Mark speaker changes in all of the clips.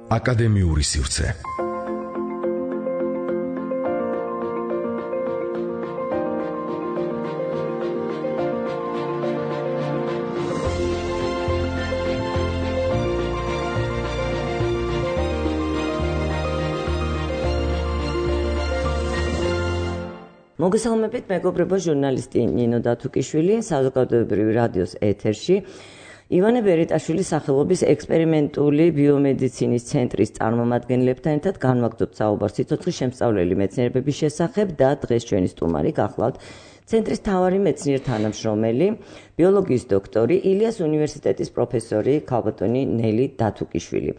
Speaker 1: აკადემიური სივრცე.
Speaker 2: მოგესალმებით, მეგობრებო, ჟურნალისტი ნინო დათუკიშვილი, საზოგადოებრივი რადიოს ეთერში. ივანე ბერიტაშვილის სახელობის ექსპერიმენტული ბიომედიცინის ცენტრის წარმომადგენლებთან ერთად განვაგრძობთ საუბარს სიცოცხლის შემსწავლელი მეცნიერების შესახებ და დღეს ჩვენი სტუმარი გახლავთ ცენტრის მთავარი მეცნიერ თანამშრომელი, ბიოლოგიის დოქტორი, ილიას უნივერსიტეტის პროფესორი ქალბატონი ნელი დათუკიშვილი.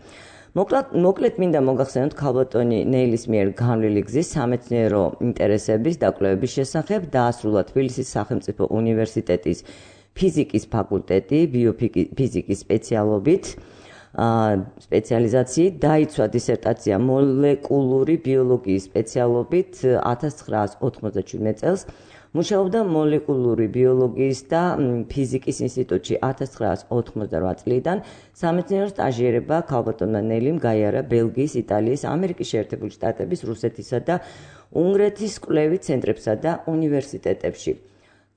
Speaker 2: მოკლედ მინდა მოგახსენოთ ქალბატონი ნელის მიერ განვლილი გზის სამეცნიერო ინტერესების და კვლევების შესახებ დაასრულა თბილისის სახელმწიფო უნივერსიტეტის ფიზიკის ფაკულტეტი ბიოფიზიკის სპეციალიზაციით, დაიცვა დისერტაცია მოლეკულური ბიოლოგიის სპეციალობით 1997 წელს. მუშაობდა მოლეკულური ბიოლოგიის და ფიზიკის ინსტიტუტში 1998 წლიდან. სამეცნიერო სტაჟირება ქალბატონმა ნელიმ გაიარა ბელგიის, იტალიის, ამერიკის შეერთებული შტატების, რუსეთისა და უნგრეთის კვლევით ცენტრებსა და უნივერსიტეტებში.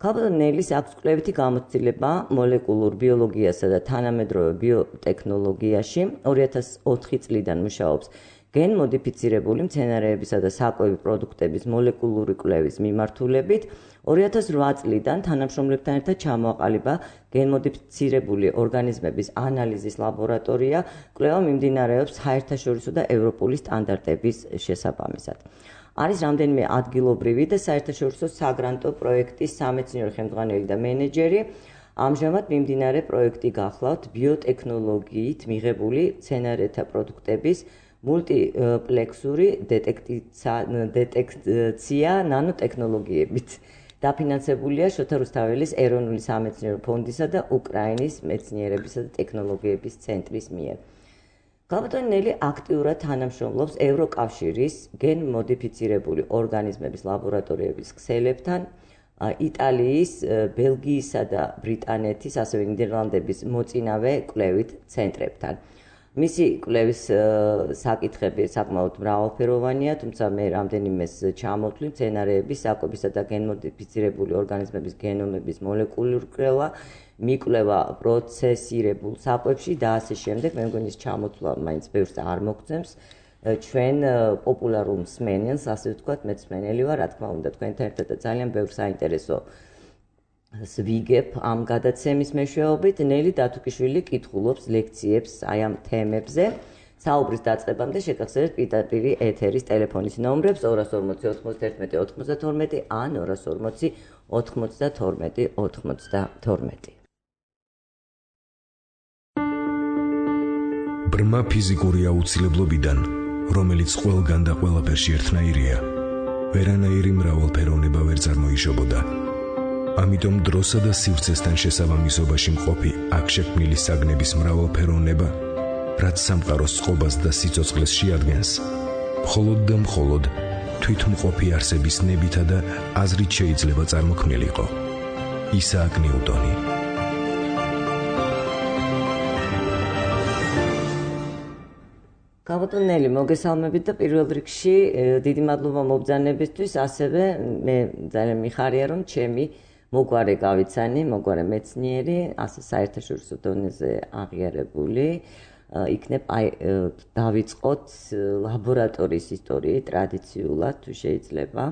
Speaker 2: ქალბატონ ნელის აქვს კვლევითი გამოცდილება მოლეკულურ ბიოლოგიასა და თანამედროვე ბიოტექნოლოგიაში. 2004 წლიდან მუშაობს გენ-მოდიფიცირებული მცენარეებისა და საკვები პროდუქტების მოლეკულური კვლევის მიმართულებით. 2008 წლიდან თანამშრომლებთან ერთად ჩამოაყალიბა გენ-მოდიფიცირებული ორგანიზმების ანალიზის ლაბორატორია. კვლევა მიმდინარეობს საერთაშორისო და ევროპული სტანდარტების შესაბამისად. არის რამდენიმე ადგილობრივი და საერთაშორისო საგრანტო პროექტის სამეცნიერო ხელმძღვანელი და მენეჯერი. ამჟამად მიმდინარე პროექტი გახლავთ ბიოტექნოლოგიით მიღებული მცენარეთა პროდუქტების მულტიპლექსური დეტექცია ნანოტექნოლოგიებით. დაფინანსებულია შოთა რუსთაველის ეროვნული სამეცნიერო ფონდისა და უკრაინის მეცნიერებისა და ტექნოლოგიების ცენტრის მიერ. ქალბატონი ნელი აქტიურად თანამშრომლობს ევროკავშირის გენ-მოდიფიცირებული ორგანიზმების ლაბორატორიების ქსელებთან, იტალიის, ბელგიისა და ბრიტანეთის, ასევე ნიდერლანდების მოწინავე კვლევით ცენტრებთან. მისი კვლევის საკითხები საკმაოდ მრავალფეროვანია, თუმცა მე რამდენიმეს ჩამოვთვლი მცენარეების, საკვებისა და გენ-მოდიფიცირებული ორგანიზმების გენომების მოლეკულური კვლევა, მიკვლევა პროცესირებულ საკვებში და ასე შემდეგ. მე მგონი ის ჩამოთვლა მაინც ბევრს არ მოგწევს. ჩვენ პოპულარულ მსმენელს, ასე ვთქვათ, მეც მსმენელი ვარ, რა თქმა უნდა, თქვენთან ერთად და ძალიან ბევრ საინტერესო ვიგებ ამ გადაცემის მეშვეობით. ნელი დათუკიშვილი კითხულობს ლექციებს აი ამ თემებზე. საუბრის დაწყებამდე შეგახსენებთ პირდაპირი ეთერის ტელეფონის ნომრებს 240 91 92 ან 240 92 92.
Speaker 1: ბრმა ფიზიკური აუცილებლობიდან, რომელიც ყველგან და ყველაფერში ერთნაირია, ვერანაირი მრავალფეროვნება ვერ წარმოიშობოდა. ამიტომ დროსა და სივრცესთან შესაბამისობაში მყოფი აქ შექმნილი საგნების მრავალფეროვნება, რაც სამყაროს წყობას და სიცოცხლეს შეადგენს, მხოლოდ და მხოლოდ თვითმყოფი არსების ნებითა და აზრით შეიძლება წარმოქმნილიყო. ისააკ ნიუტონი.
Speaker 2: ქალბატონ ნელი, მოგესალმებით და პირველ რიგში დიდი მადლობა მობრძანებისთვის, ასევე მე ძალიან მიხარია, რომ ჩემი მოგვარე გავიცანი, მოგვარე მეცნიერი, ასე საერთაშორისო დონეზე აღიარებული იქნებ, დავიწყოთ ლაბორატორიის ისტორიით ტრადიციულად თუ შეიძლება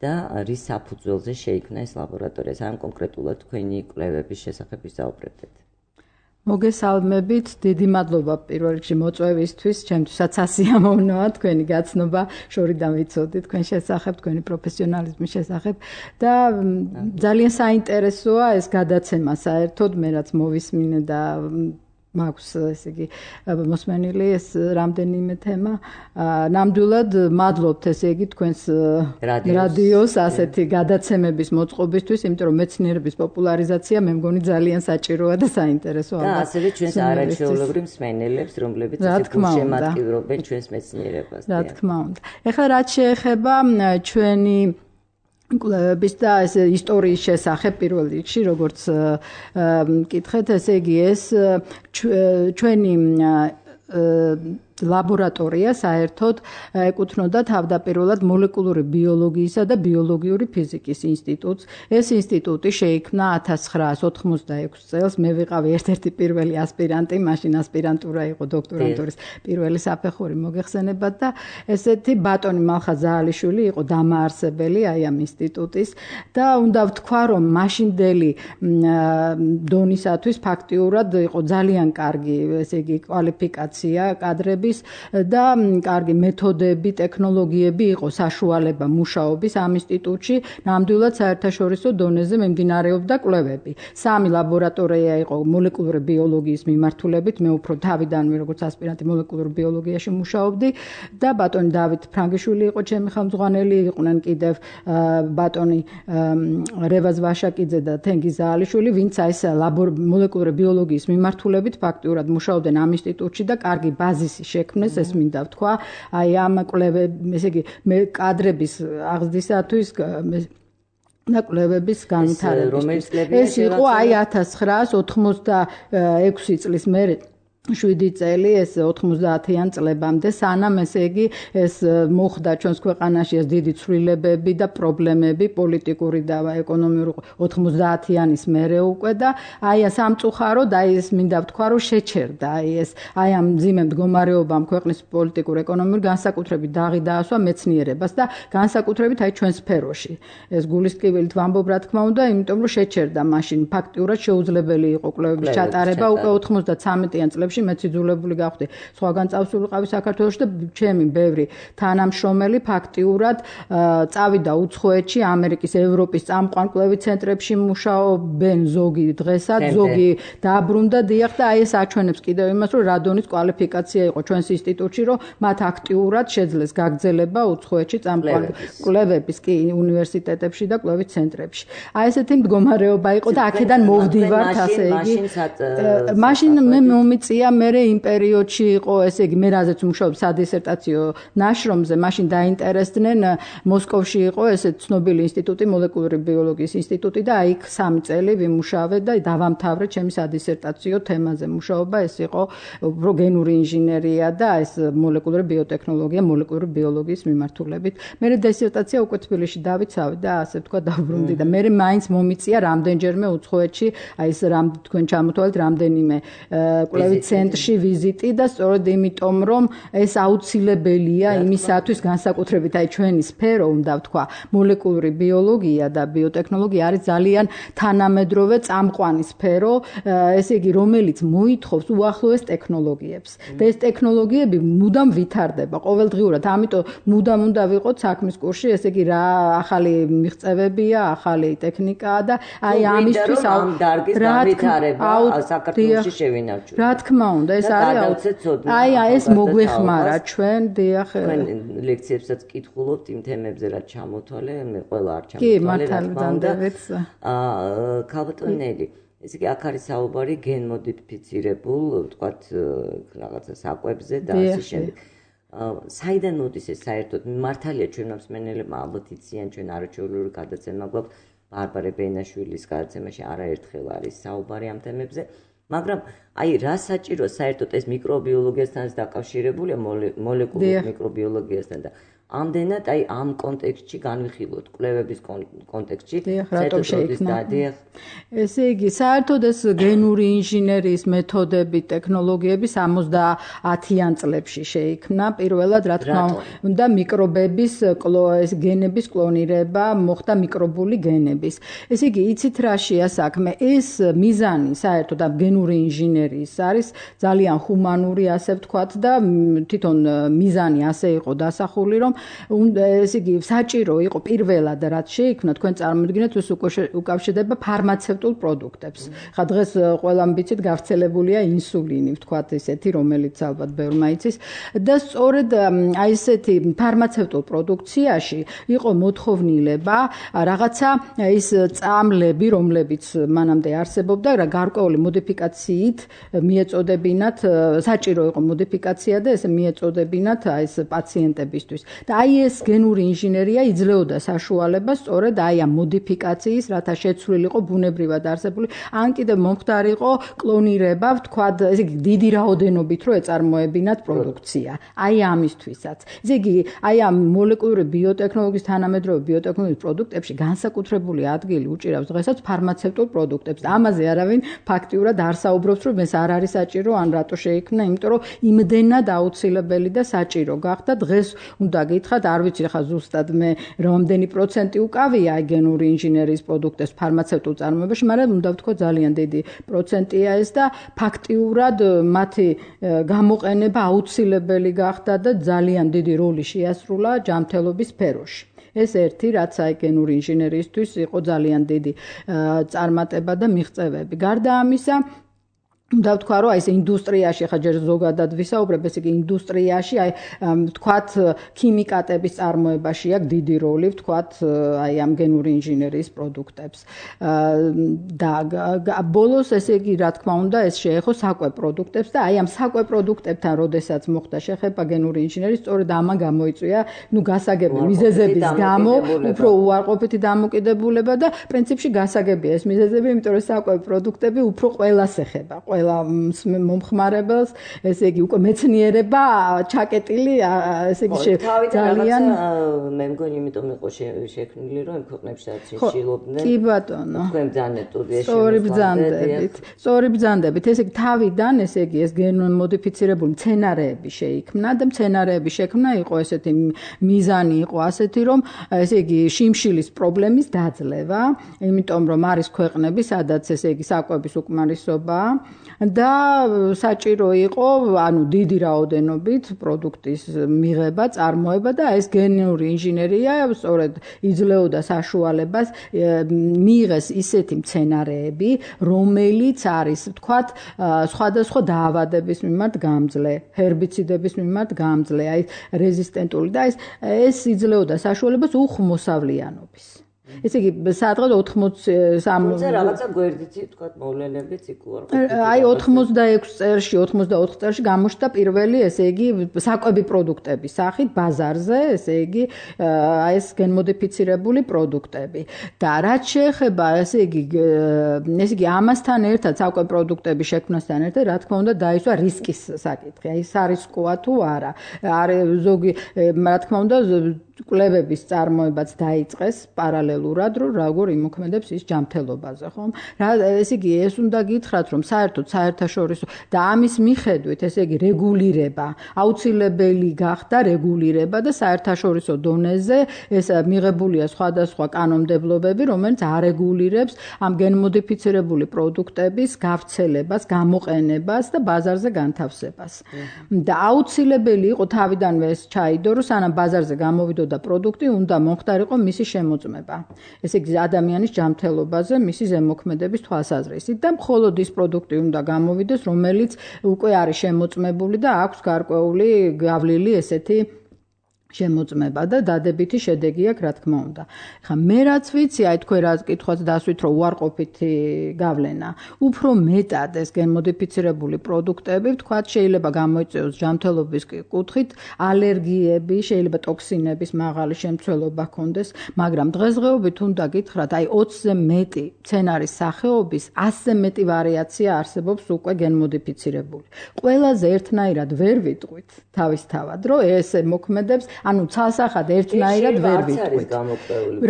Speaker 2: და რის საფუძველზე შეიქმნა ეს ლაბორატორია, სამ კონკრეტულად თქვენი კვლევების შესახებ ვისაუბრებთ.
Speaker 3: მოგესალმებით, დიდი მადლობა პირველ რიგში მოწვევისთვის, ჩემთვისაც ასიამოვნოა თქვენი გაცნობა, შორიდან ვიცოდი თქვენ შესახებ, თქვენი პროფესიონალიზმის შესახებ და ძალიან საინტერესოა ეს გადაცემა საერთოდ, მე რაც მოვისმინე და მაქვს ესე იგი მოსმენილი ეს რამდენიმე თემა. ნამდვილად მადლობთ ესე იგი თქვენს რადიოს ასეთი გადაცემების მოწყობისთვის, იმიტომ რომ მეცნიერების პოპულარიზაცია მე მგონი ძალიან საჭიროა და საინტერესოა.
Speaker 2: და ასევე ჩვენს არაჩვეულებრივ მსმენელებს, რომლებიც ესე გულშემატკივრობენ ჩვენს მეცნიერებას.
Speaker 3: რა თქმა უნდა. ეხლა რაც შეეხება ჩვენი კვლევების და ეს ისტორიის შესახებ პირველ რიგში, როგორც კითხეთ, ესე იგი ეს ჩვენი ლაბორატორია საერთოდ ეკუთვნოდა თავდაპირველად მოლეკულური ბიოლოგიისა და ბიოლოგიური ფიზიკის ინსტიტუტს. ეს ინსტიტუტი შეიქმნა 1986 წელს. მე ვიყავი ერთ-ერთი პირველი ასპირანტი, მაშინ ასპირანტურა იყო დოქტორანტურის პირველი საფეხური მოგეხსენებათ და ესეთი ბატონი მალხა ზაალიშვილი იყო დამაარსებელი აი ამ ინსტიტუტის და უნდა ვთქვა, რომ მაშინდელი დონისათვის ფაქტიურად იყო ძალიან კარგი, ესე იგი კვალიფიკაცია კადრები და კარგი მეთოდები, ტექნოლოგიები იყო საშუალება მუშაობის ამ ინსტიტუტში. ნამდვილად საერთაშორისო დონეზე მიმდინარეობდა კვლევები. 3 ლაბორატორია იყო მოლეკულური ბიოლოგიის მიმართულებით. მე უფრო თავიდანვე როგორც ასპირანტი მოლეკულურ ბიოლოგიაში მუშაობდი და ბატონი დავით ფრანგიშვილი იყო ჩემი ხელმძღვანელი, იყვნენ კიდევ ბატონი რევაზ ვაშაკიძე და თენგიზ ზაალიშვილი, ვინც ეს მოლეკულური ბიოლოგიის მიმართულებით ფაქტიურად მუშაობდნენ ამ ინსტიტუტში და კარგი ბაზისი შექმნეს, ეს მინდა ვთქვა, აი ამ კვლევების, ესე იგი, კადრების აღზრდისათვის და კვლევების განვითარებისთვის. ეს იყო აი 1986 წლის მერე 7 წელი, ეს 90-იან წლებამდე, სანამ ესე იგი ეს მოხდა ჩვენს ქვეყანაში ეს დიდი ცვლილებები და პრობლემები პოლიტიკური და ეკონომიური 90-იანის მერე უკვე და აი სამწუხაროდ აი ეს მინდა ვთქვა, რომ შეჩერდა აი ამ მძიმე მდგომარეობამ ქვეყნის პოლიტიკურ-ეკონომიურ განსაკუთრებით დაღი დაასვა მეცნიერებას და განსაკუთრებით აი ჩვენ სფეროში. ეს გულისკივილით ვამბობ რა თქმა უნდა, იმიტომ რომ შეჩერდა მაშინ ფაქტიურად შეუძლებელი იყო კვლევების ჩატარება უკვე 93-იან წლებში მეც იძულებული გავხდი სხვაგან წავსულიყავი საქართველოში და ჩემი ბევრი თანამშრომელი ფაქტიურად წავიდა უცხოეთში, ამერიკის, ევროპის წამყვან კვლევით ცენტრებში მუშაობენ ზოგი დღესაც, ზოგი დაბრუნდა დიახ და აი ეს აჩვენებს კიდევ იმას, რომ რა დონის კვალიფიკაცია იყო ჩვენს ინსტიტუტში, რომ მათ აქტიურად შეძლეს გაგრძელება უცხოეთში წამყვან კვლევების კი უნივერსიტეტებში და კვლევით ცენტრებში. აი ესეთი მდგომარეობა იყო და აქედან მოვდივართ, ასე იგი. მაშინ მე მომიწია მე იმ პერიოდში იყო, ესე იგი, მე რაზეც მუშაობ სადისერტაციო ნაშრომზე, მაშინ დაინტერესდნენ მოსკოვში იყო ესე ცნობილი ინსტიტუტი, მოლეკულური ბიოლოგიის ინსტიტუტი და იქ 3 წელი ვიმუშავე და დავამთავრე ჩემი სადისერტაციო თემაზე მუშაობა, ეს იყო გენური ინჟინერია და ეს მოლეკულური ბიოტექნოლოგია, მოლეკულური ბიოლოგიის მიმართულებით. მე დისერტაცია უკვე თბილისში დავიცავე და ასე თქვა დავრუნდი და მე მაინც მომიწია რამდენჯერმე უცხოეთში, აი ეს თქვენ ჩამოთვალეთ რამდენიმე კვლევით ცენტრში ვიზიტი და სწორედ იმიტომ რომ ეს აუცილებელია იმისათვის განსაკუთრებით აი ჩვენი სფერო უნდა ვთქვა მოლეკულური ბიოლოგია და ბიოტექნოლოგია არის ძალიან თანამედროვე წამყვანი სფერო, ესე იგი რომელიც მოითხოვს უახლოეს ტექნოლოგიებს და ეს ტექნოლოგიები მუდამ ვითარდება ყოველდღიურად, ამიტომ მუდამ უნდა ვიყოთ საქმის კურსში, ესე იგი რა ახალი მიღწევებია, ახალი ტექნიკაა და აი ამისთვის
Speaker 2: ამ დარგის განვითარება საქართველოში შევინარჩუნოთ.
Speaker 3: რა თქმა უნდა, ეს არის აი ეს მოგვეხმარა ჩვენ დიახ
Speaker 2: ლექციებსაც კითხულობთ იმ თემებზე რაც ჩამოთვალე, მე ყველა არ ჩამოთვალე.
Speaker 3: კი, მართალდანდებით.
Speaker 2: ქალბატონელი, ესე იგი აქ არის საუბარი გენმოდიფიცირებულ, ვთქვათ, რაღაცა საკვებზე და ასე შემდეგ. საიდან მოდის ეს საერთოდ? მართალია ჩვენ მსმენელებმა ალბათ იციან, ჩვენ არაჩვეულებრივი გადაცემა გვაქვს ბარბარე ბენაშვილის გადაცემაში არაერთხელ არის საუბარი ამ თემებზე. მაგრამ აი რა საჭირო საერთოდ ეს მიკრობიოლოგიასთან დაკავშირებულია მოლეკულურ მიკრობიოლოგიასთან და ამდენად აი ამ კონტექსტში განვიხილოთ კვლევების კონტექსტში
Speaker 3: რატომ შეიქმნა ესე იგი საერთოდ ეს გენური ინჟინერიის მეთოდები ტექნოლოგიები 70-იან წლებში შეიქმნა პირველად რა თქმა უნდა მიკრობების ეს გენების კლონირება მოხდა მიკრობული გენების ესე იგი იცით რაშია საქმე ეს მიზანი საერთოდ ამ გენური ინჟინერიის არის ძალიან ჰუმანური ასე ვთქვათ და თვითონ მიზანი ასე იყო დასახული რომ ესე იგი საჭირო იყო პირველად რაც შეიქმნა თქვენ წარმოიდგინეთ ეს უკავშირდება ფარმაცევტულ პროდუქტებს. ხა დღეს ყველამ ვიცით გავრცელებულია ინსულინი, ვთქვათ ესეთი, რომელიც ალბათ ბევრმა იცის და სწორედ აი ესეთი ფარმაცევტულ პროდუქციაში იყო მოთხოვნილება რაღაცა ის წამლები, რომლებიც მანამდე არსებობდა, გარკვეული მოდიფიკაციით მიეწოდებინათ, საჭირო იყო მოდიფიკაცია და ეს მიეწოდებინათ აი ეს პაციენტებისთვის. და აი ეს გენური ინჟინერია იძლეოდა საშუალებას სწორედ აი ამ მოდიფიკაციის, რათა შეცვლილიყო ბუნებრივად არსებული, ან კიდევ მომხდარიყო კლონირება, ვთქვათ, ესე იგი დიდი რაოდენობით რო ეწარმოებინათ პროდუქცია. აი ამისთვისაც. ესე იგი აი ამ მოლეკულური ბიოტექნოლოგიის თანამედროვე ბიოტექნოლოგიის პროდუქტებში განსაკუთრებული ადგილი უჭირავს დღესაც ფარმაცევტულ პროდუქტებს. ამაზე არავინ ფაქტიურად არ საუბრობს, რომ ეს არ არის საჭირო, ან რატო შეიქმნა, იმიტომ რომ იმდენად აუცილებელი და საჭირო გახდა. დღეს უნდა გითხრათ, არ ვიცი ხა ზუსტად მე რამდენი პროცენტი უკავია გენური ინჟინერიის პროდუქტებს ფარმაცევტულ წარმოებაში, მაგრამ უნდა ვთქვა ძალიან დიდი პროცენტია ეს და ფაქტიურად მათი გამოყენება აუცილებელი გახდა და ძალიან დიდი როლი შეასრულა ჯანმრთელობის სფეროში. ეს ერთი, რაც აი გენური ინჟინერიისთვის იყო ძალიან დიდი წარმატება და მიღწევები. გარდა ამისა, უნდა ვთქვა, რომ აი ეს ინდუსტრიაში, ხა ჯერ ზოგადად ვისაუბრებ, ესე იგი ინდუსტრიაში, აი ვთქვათ, ქიმიკატების წარმოებაში აქვს დიდი როლი, ვთქვათ, აი ამ გენური ინჟინერიის პროდუქტებს. და ბოლოს, ესე იგი, რა თქმა უნდა, ეს შეეხო საკვე პროდუქტებს და აი ამ საკვე პროდუქტებთან, როდესაც მოხდა შეხება გენური ინჟინერიის, სწორედ ამან გამოიწვია, გასაგები მიზეზების გამო, უფრო უარყოფითი დამოკიდებულება და პრინციპში გასაგებია ეს მიზეზები, იმიტომ რომ საკვე პროდუქტები უფრო ყველას ეხება. ყველა მომხმარებელს, ესე იგი უკვე მეცნიერება ჩაკეტილი, ესე იგი
Speaker 2: ძალიან მე მგონი იმიტომ იყო შექმნილი, რომ იმ ქვეყნებშიც შეშილობდნენ.
Speaker 3: კი ბატონო.
Speaker 2: თქვენ ბრძანდებით სტუდიაში.
Speaker 3: სწორი ბრძანდებით. ესე იგი თავიდან, ესე იგი ეს გენმოდიფიცირებული მცენარეები შეიქმნა და მცენარეების შექმნა იყო ესეთი მიზანი იყო ასეთი, რომ ესე იგი შიმშილის პრობლემის დაძლევა, იმიტომ რომ არის ქვეყნები, სადაც ესე იგი საკვების უკმარისობაა. და საჭირო იყო, ანუ დიდი რაოდენობით პროდუქტის მიღება, წარმოება და ეს გენური ინჟინერია სწორედ იძლეოდა საშუალებას მიიღეს ისეთი მცენარეები, რომელიც არის, ვთქვათ, სხვადასხვა დაავადების მიმართ გამძლე, ჰერბიციდების მიმართ გამძლე, აი რეზისტენტული და ეს იძლეოდა საშუალებას უხმოსავლიანობის. ესე იგი, სადღაც 83
Speaker 2: რაღაცა გვერდითი, ვთქვათ, მოვლენებიც იქ უარყოფითი.
Speaker 3: აი 86 წელში, 84 წელში გამოჩნდა პირველი, ესე იგი, საკვები პროდუქტების სახით ბაზარზე, ესე იგი, აი ეს გენმოდიფიცირებული პროდუქტები. და რაც შეეხება, ესე იგი, ამასთან ერთად საკვები პროდუქტების შექმნასთან ერთად, რა თქმა უნდა, დაისვა რისკის საკითხი. აი სარისკოა თუ არა. ზოგი, რა თქმა უნდა, კვლევების წარმოებაც დაიწყეს პარალელურად, რომ როგორ იმოქმედებს ის ჯანმრთელობაზე, ხომ? ესე იგი, ეს უნდა გითხრათ, რომ საერთოდ საერთაშორისო და ამის მიხედვით, ესე იგი, რეგულირება, აუცილებელი გახდა რეგულირება და საერთაშორისო დონეზე ეს მიღებულია სხვადასხვა კანონმდებლობები, რომელიც არეგულირებს ამ გენმოდიფიცირებული პროდუქტების გავრცელებას, გამოყენებას და ბაზარზე განთავსებას. და აუცილებელი იყო თავიდანვე ეს ჩაიდო, რომ სანამ ბაზარზე გამოვიდოდა და პროდუქტი უნდა მომხდარიყო მისი შემოწმება. ესე იგი, ადამიანის ჯანმრთელობაზე მისი ზემოქმედების თვალსაზრისით და მხოლოდ ის პროდუქტი უნდა გამოვიდეს, რომელიც უკვე არის შემოწმებული და აქვს გარკვეული გავლილი ესეთი შემოწმება და დადებითი შედეგი აქვს, რა თქმა უნდა. ხა მე რაც ვიცი, აი თქვენ რა კითხვაც დასვით, რომ უარყოფითი გავლენა, უფრო მეტად ეს გენმოდიფიცირებული პროდუქტები, ვთქვათ, შეიძლება გამოიწვიოს ჯანმრთელობის კუთხით ალერგიები, შეიძლება ტოქსინების მაღალი შემცველობა ჰქონდეს, მაგრამ დღესდღეობით უნდა გითხრათ, აი 20-ზე მეტი მცენარის სახეობის 100-ზე მეტი ვარიაცია არსებობს უკვე გენმოდიფიცირებული. ყველაზე ერთნაირად ვერ ვიტყვით თავისთავად, რომ ესე მოქმედებს, ანუ ცალსახად ერთნაირად ვერ ვიტყვით.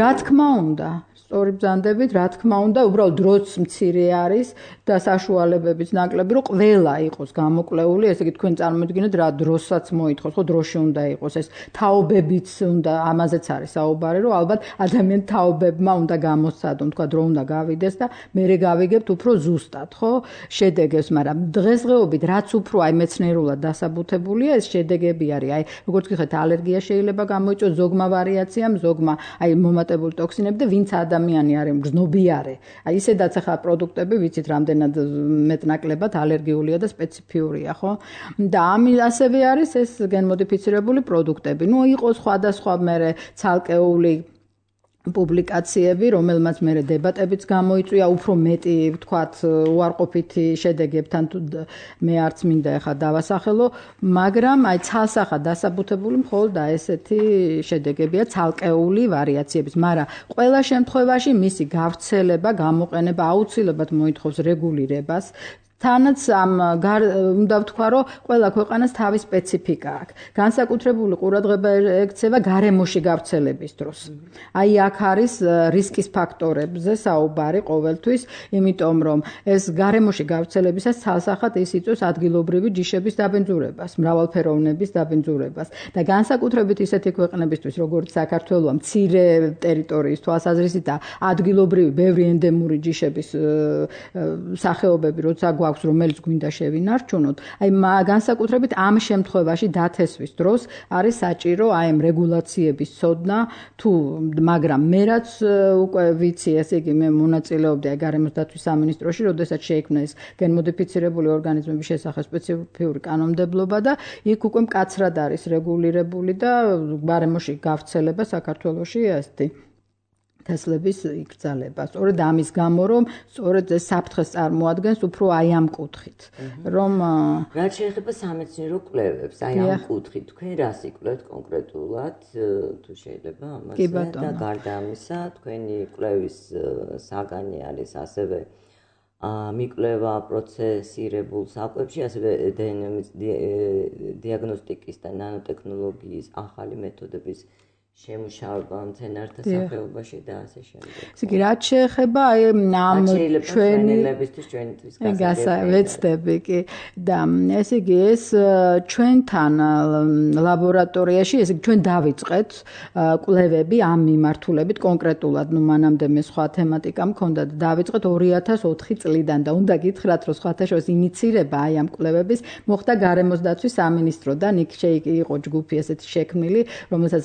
Speaker 3: რა თქმა უნდა, სწორი ბრძანდებით, რა თქმა უნდა, უბრალოდ დროც მცირე არის და საშუალებებიც ნაკლები, რომ ყველა იყოს გამოკვლეული, ესე იგი თქვენ წარმოიდგინეთ რა დროსაც მოითხოვს, ხო დროში უნდა იყოს ეს თაობებიც უნდა, ამაზეც არის საუბარი, რომ ალბათ ადამიანს თაობებმა უნდა გამოსცადონ, თქვა დრო უნდა გავიდეს და მერე გავიგებთ უფრო ზუსტად, ხო? შედეგებს, მაგრამ დღესდღეობით რაც უფრო აი მეცნიერულად დასაბუთებულია, ეს შედეგები არის, აი როგორც გიხეთ, ალერგია შეიძლება გამოიწვიოს ზოგმა ვარიაციამ, ზოგმა აი მომატებული ტოქსინები და ვინც ადამიანი არის გზნობიარე. აი ისედაც ახლა პროდუქტები ვიცით რამდენად მეტნაკლებად ალერგიულია და სპეციფიურია, ხო? და ასევე არის ეს გენმოდიფიცირებული პროდუქტები. იყო სხვადასხვა მერე ცალკეული პუბლიკაციები, რომელმაც მე დებატებიც გამოიწვია, უფრო მეტი, ვთქვათ, უარყოფითი შედეგებთან თუ მე არც მინდა ახლა დავასახელო, მაგრამ აი ცალსახად დასაბუთებული მხოლოდ ესეთი შედეგებია ცალკეული ვარიაციების, მაგრამ ყველა შემთხვევაში მისი გავრცელება, გამოყენება აუცილებლად მოითხოვს რეგულირებას. თანაც უნდა ვთქვა, რომ ყველა ქვეყანას თავის სპეციფიკა აქვს. განსაკუთრებული ყურადღება ექცევა გარემოში გავრცელების დროს. აი აქ არის რისკის ფაქტორებზე საუბარი ყოველთვის, იმიტომ რომ ეს გარემოში გავრცელებისას ცალსახად ის იწვევს ადგილობრივი ჯიშების დაბინძურებას, მრავალფეროვნების დაბინძურებას და განსაკუთრებით ისეთი ქვეყნებისთვის, როგორც საქართველოა, მცირე ტერიტორიის თვალსაზრისით და ადგილობრივი ბევრი ენდემური ჯიშების სახეობები, როცა აქვს, რომელიც გვინდა შევინარჩუნოთ. აი განსაკუთრებით ამ შემთხვევაში დათესვის დროს არის საჭირო აი ამ რეგულაციების ცოდნა თუ მაგრამ მე რაც უკვე ვიცი, ესე იგი მე მონაწილეობდი აი გარემოს დაცვის სამინისტროში, როდესაც შეიქმნა ეს გენმოდიფიცირებული ორგანიზმების შესახებ სპეციფიური კანონმდებლობა და იქ უკვე მკაცრად არის რეგულირებული და გარემოში გავრცელება საქართველოში ესეთი თესლების იკრძალება. სწორედ ამის გამო, რომ სწორედ ეს საფრთხეს წარმოადგენს უფრო აი ამ კუთხით. რომ
Speaker 2: რაც შეეხება სამეცნიერო კვლევებს, აი ამ კუთხით, თქვენ რას იკვლევთ კონკრეტულად, თუ შეიძლება ამაზე და გარდა ამისა, თქვენი კვლევის საგანი არის ასევე მიკვლევა პროცესირებულ საკვებში, ასევე დნმ-ის დიაგნოსტიკის და ნანოტექნოლოგიის ახალი მეთოდების შემუშავება მცენარეთა სახეობაში და ასე შემდეგ.
Speaker 3: ესე იგი, რაც შეეხება აი ამ
Speaker 2: ჩვენებისთვის ჩვენთვის
Speaker 3: ვეცდები კი და ესე იგი ეს ჩვენთან ლაბორატორიაში, ესე იგი ჩვენ დავიწყეთ კვლევები ამ მიმართულებით კონკრეტულად, ნუ მანამდე მე სხვა თემატიკა მქონდა და დავიწყეთ 2004 წლიდან და უნდა გითხრათ, რომ სხვათაშორის ინიცირება აი ამ კვლევების მოხდა გარემოს დაცვის სამინისტროდან, იქ იყო ჯგუფი ესეთი შექმნილი, რომელსაც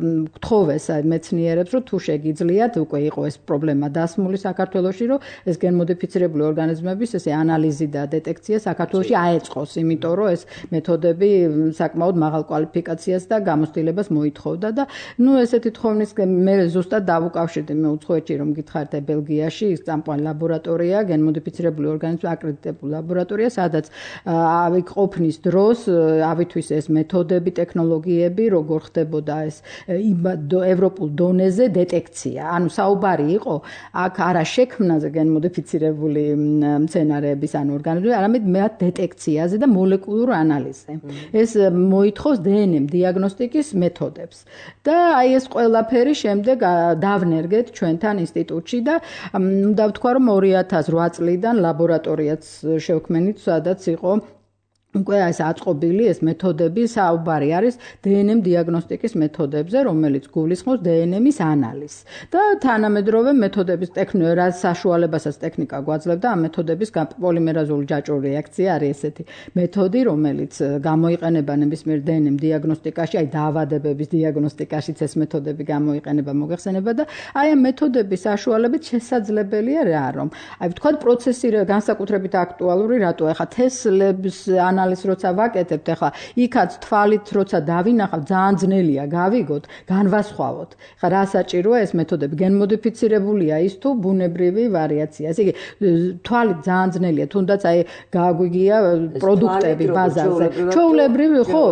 Speaker 3: გთხოვეს მეცნიერებს, რომ თუ შეგიძლიათ, უკვე იყო ეს პრობლემა დასმული საქართველოში, რომ ეს გენმოდიფიცირებული ორგანიზმების ესე ანალიზი და დეტექცია საქართველოში აეწყოს, იმიტომ რომ ეს მეთოდები საკმაოდ მაღალ კვალიფიკაციას და გამოცდილებას მოითხოვდა და ნუ ესეთი თხოვნის მე ზუსტად დავუკავშირდი მე უცხოეთში რომ გითხარით ბელგიაში ის წამყვანი ლაბორატორია, გენმოდიფიცირებული ორგანიზმების აკრედიტებული ლაბორატორია, სადაც ყოფნის დროს ავითვის ეს მეთოდები, ტექნოლოგიები, როგორ ხდებოდა ეს ევროპულ დონეზე დეტექცია. ანუ საუბარი იყო აქ არა შექმნაზე გენმოდიფიცირებული მცენარეების ან ორგანიზმების, არამედ მათ დეტექციაზე და მოლეკულურ ანალიზზე. ეს მოითხოვს დნმ დიაგნოსტიკის მეთოდებს. და აი ეს ყველაფერი შემდეგ დავნერგეთ ჩვენთან ინსტიტუტში და უნდა ვთქვა, რომ 2008 წლიდან ლაბორატორიაც შევქმნით, სადაც იყო უკვე ეს აწყობილი ეს მეთოდები, საუბარი არის დნმ დიაგნოსტიკის მეთოდებზე, რომელიც გულისხმობს დნმ-ის ანალიზს. და თანამედროვე მეთოდების რას საშუალებასაც ტექნიკა გვაძლევდა ამ მეთოდების პოლიმერაზული ჯაჭვური რეაქცია არის ესეთი მეთოდი, რომელიც გამოიყენება ნებისმიერ დნმ დიაგნოსტიკაში, აი დაავადებების დიაგნოსტიკაშიც ეს მეთოდები გამოიყენება, მოგეხსენება და აი ამ მეთოდების საშუალებით შესაძლებელია რა, რომ აი ვთქვათ პროცესირება განსაკუთრებით აქტუალური, რატო ახლა თესლების ანალიზს როცა ვაკეთებთ, ახლა იქაც თვალით როცა დავინახავთ, ძალიან ძნელია გავიგოთ, განვასხვავოთ. ახლა რა საჭიროა ეს მეთოდები? გენმოდიფიცირებულია ის თუ ბუნებრივი ვარიაცია. ესე იგი, თვალით ძალიან ძნელია, თუნდაც აი გაგვიგია პროდუქტები ბაზარზე. ჩვეულებრივი ხო,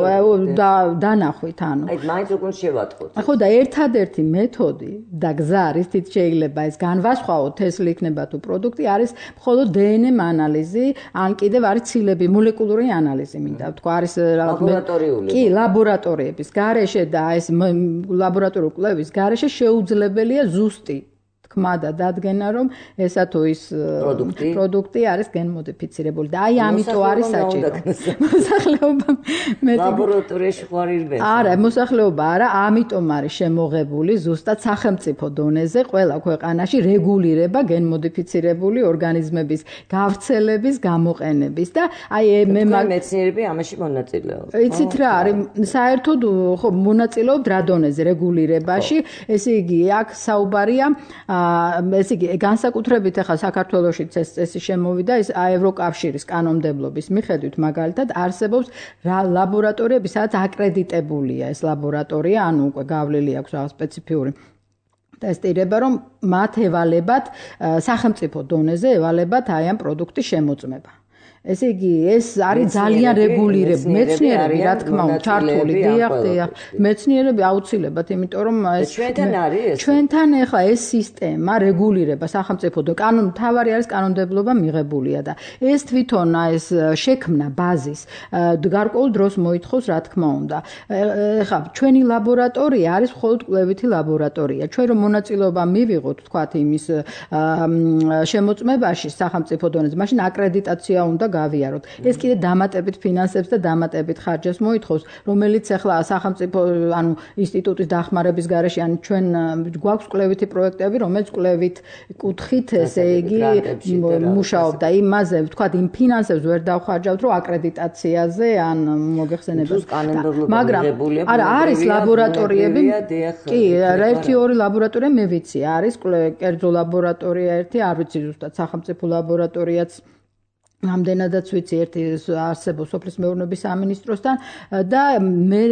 Speaker 3: დანახვით ანუ.
Speaker 2: აი მაინც უკვე შევატყოთ.
Speaker 3: ხო და ერთადერთი მეთოდი და გზა რითიც შეიძლება ეს განვასხვაოთ, თესლი იქნება თუ პროდუქტი, არის მხოლოდ დნმ ანალიზი, ან კიდევ არის ცილები, მოლეკულური ანალიზი მინდა ვთქვა, არის
Speaker 2: ლაბორატორიული.
Speaker 3: კი, ლაბორატორიების გარეშე და ეს ლაბორატორიული კვლევის გარეშე შეუძლებელია ზუსტი თქმა და დადგენა, რომ ესა თუ ის პროდუქტი არის გენმოდიფიცირებული და აი ამიტომ არის საჭირო. მოსახლეობა
Speaker 2: ლაბორატორიაში ხარ ირბენს.
Speaker 3: არა, მოსახლეობა არა, ამიტომ არის შემოღებული ზუსტად სახელმწიფო დონეზე ყველა ქვეყანაში რეგულირება გენმოდიფიცირებული ორგანიზმების გავრცელების, გამოყენების და აი მე
Speaker 2: მეცნიერები ამაში მონაწილეობენ.
Speaker 3: იცით რა არის, საერთოდ ხო მონაწილეობთ რა დონეზე რეგულირებაში, ესე იგი აქ საუბარია ესე იგი განსაკუთრებით ახლა საქართველოშიც ეს წესი შემოვიდა ის ევროკავშირის კანონმდებლობის მიხედვით მაგალითად არსებობს ლაბორატორიები, სადაც აკრედიტებულია ეს ლაბორატორია, ანუ უკვე გავლილი აქვს რაღაც სპეციფიური ტესტირება, რომ მათ ევალებათ სახელმწიფო დონეზე ევალებათ აი ამ პროდუქტის შემოწმება. ესე იგი, ეს არის ძალიან რეგულირებული მეცნიერები, რა თქმა უნდა, ჩართული, დიახ, მეცნიერები აუცილებლად, იმიტომ რომ
Speaker 2: ეს
Speaker 3: ჩვენთან ახლა ეს სისტემა რეგულირება სახელმწიფო კანონ, თავარი არის კანონმდებლობა მიღებულია და ეს თვითონ ეს შექმნა ბაზის გარკვეულ დროს მოითხოვს, რა თქმა უნდა. ახლა ჩვენი ლაბორატორია არის მხოლოდ კვლევითი ლაბორატორია. ჩვენ რომ მონაწილეობა მივიღოთ, თქვათ, იმის შემოწმებაში სახელმწიფო დონეზე, მაშინ აკრედიტაცია უნდა გავიაროთ. ეს კიდე დამატებით ფინანსებს და დამატებით ხარჯებს მოითხოვს, რომელიც ახლა სახელმწიფო ანუ ინსტიტუტის დახმარების გარეშე ან ჩვენ გვაქვს კვლევითი პროექტები, რომელიც კვლევით კუთხით, ესე იგი, მუშაობდა იმაზე, ვთქვათ, იმ ფინანსებს ვერ დავხარჯავთ, რომ აკრედიტაციაზე ან მოგეხსენებათ.
Speaker 2: მაგრამ
Speaker 3: არა, არის ლაბორატორიები. კი, ერთი-ორი ლაბორატორია მე ვიცი, არის კერძო ლაბორატორია ერთი, არ ვიცი ზუსტად სახელმწიფო ლაბორატორიაც ამდენადაც ვიცი ერთი არსებობს სოფლის მეურნეობის სამინისტროსთან და მე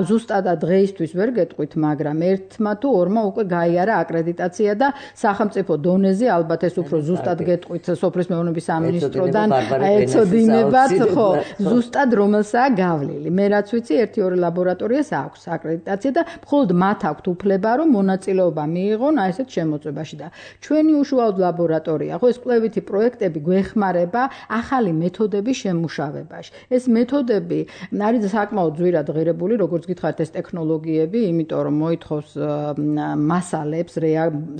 Speaker 3: ზუსტად დღეისთვის ვერ გეტყვით, მაგრამ ერთმა თუ ორმა უკვე გაიარა აკრედიტაცია და სახელმწიფო დონეზე ალბათ ეს უფრო ზუსტად გეტყვით სოფლის მეურნეობის სამინისტროდან ეცოდინებათ, ხო, ზუსტად რომელსაა გავლილი. მე რაც ვიცი, ერთი-ორი ლაბორატორიას აქვს აკრედიტაცია და მხოლოდ მათ აქვთ უფლება, რომ მონაწილეობა მიიღონ აი ესეთ შემოწმებაში და ჩვენი უშუალოდ ლაბორატორია, ხო, ეს კვლევითი პროექტები გვეხმარება ახალი მეთოდების შემუშავებაში. ეს მეთოდები არის საკმაოდ ძვირად ღირებული, როგორც გითხარით, ეს ტექნოლოგიები, იმიტომ რომ მოითხოვს მასალებს,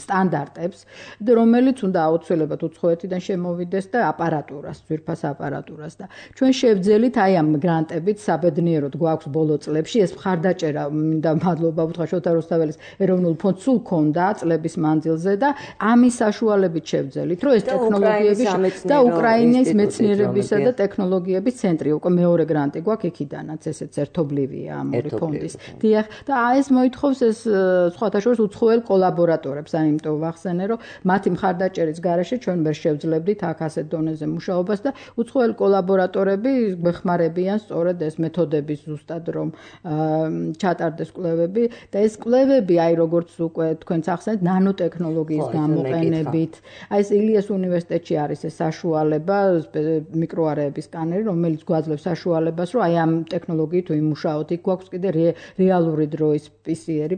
Speaker 3: სტანდარტებს, რომელიც უნდა აუცილებლად უცხოეთიდან შემოვიდეს და აპარატურას, ძვირფას აპარატურას და ჩვენ შევძელით აი ამ გრანტებით საბედნიეროდ გვაქვს ბოლო წლებში ეს მხარდაჭერა, მინდა მადლობა უთხრა შოთა რუსთაველის ეროვნულ ფონდს სულ ქონდა წლების მანძილზე და ამის საშუალებით შევძელით, რომ ეს ტექნოლოგიები და უკრაინის მეცნიერებისა და ტექნოლოგიების ცენტრი უკვე მეორე გრანტი გვაქვს იქიდანაც ესეც ერთობლივია ამ ორი ფონდის. დიახ, და ეს მოითხოვს ეს სხვათა შორის უცხოელ კოლაბორატორებს, ამიტომ ვახსენე, რომ მათი მხარდაჭერის გარეშე ჩვენ ვერ შევძლებდით აქ ასეთ დონეზე მუშაობას და უცხოელ კოლაბორატორები გვეხმარებიან სწორედ ეს მეთოდების ზუსტად რომ ჩატარდეს კვლევები და ეს კვლევები აი როგორც უკვე თქვენც ახსენეთ ნანოტექნოლოგიის გამოყენებით. აი ეს ილიას უნივერსიტეტში არის ეს საშუალება მიკროარეების სკანერი, რომელიც გვაძლევს საშუალებას, რომ აი ამ ტექნოლოგიით ვიმუშაოთ. იქ გვაქვს კიდე რეალური დროის PCR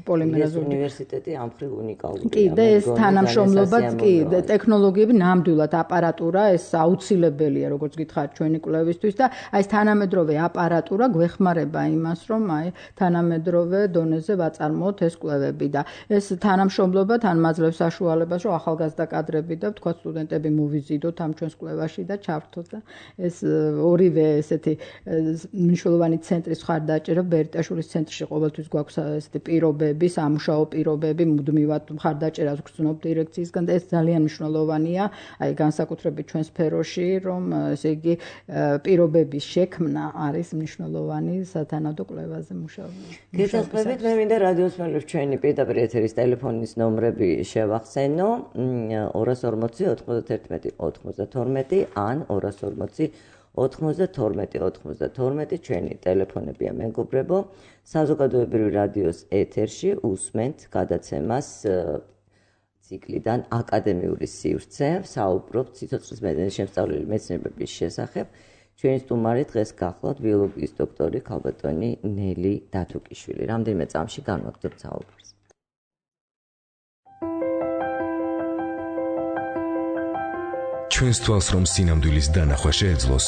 Speaker 3: პოლიმერაზული
Speaker 2: უნივერსიტეტი ამ მხრივ უნიკალურია.
Speaker 3: კი, და ეს თანამშრომლობაც კი, ტექნოლოგიები ნამდვილად აპარატურა, ეს აუცილებელია, როგორც გითხარით, ჩვენი კვლევისთვის და აი ეს თანამედროვე აპარატურა გვეხმარება იმას, რომ აი თანამედროვე დონეზე ვაწარმოოთ ეს კვლევები და ეს თანამშრომლობა თან მაძლევს საშუალებას, რომ ახალგაზრდა კადრები და თქვა სტუდენტები მოვიზიდოთ ამ ჩვენს კვლევაში და ჩავთოთ და ეს ორივე ესეთი მნიშვნელოვანი ცენტრის მხარდაჭერა ბერიტაშვილის ცენტრში ყოველთვის გვაქვს ესეთი პირობები, სამუშაო პირობები, მუდმივად მხარდაჭერას გრძნობ დირექციისგან და ეს ძალიან მნიშვნელოვანია, აი განსაკუთრებით ჩვენ სფეროში, რომ ესე იგი პირობების შექმნა არის მნიშვნელოვანი სათანადო კვლევაზე მუშაობა.
Speaker 2: გესაძლებთ, მე მინდა რადიოს მელებს ჩვენი პირდაპირ ეთერის ტელეფონის ნომრები შევახსენო 240 91 92 ან 240 92 ჩვენი ტელეფონებია მეგობრებო. საზოგადოებრივი რადიოს ეთერში უსმენთ გადაცემას ციკლიდან აკადემიური სივრცე, საუბრობთ სიცოცხლის მედიცინის შემსწავლელი მეცნიერების შესახებ. ჩვენი სტუმარი დღეს გახლავთ ბიოლოგიის დოქტორი ქალბატონი ნელი დათუკიშვილი. რამდენიმე წამში განვაგრძობთ საუბარს.
Speaker 1: ჩვენს თვალს რომ სინამდვილის დანახვა შეეძლოს,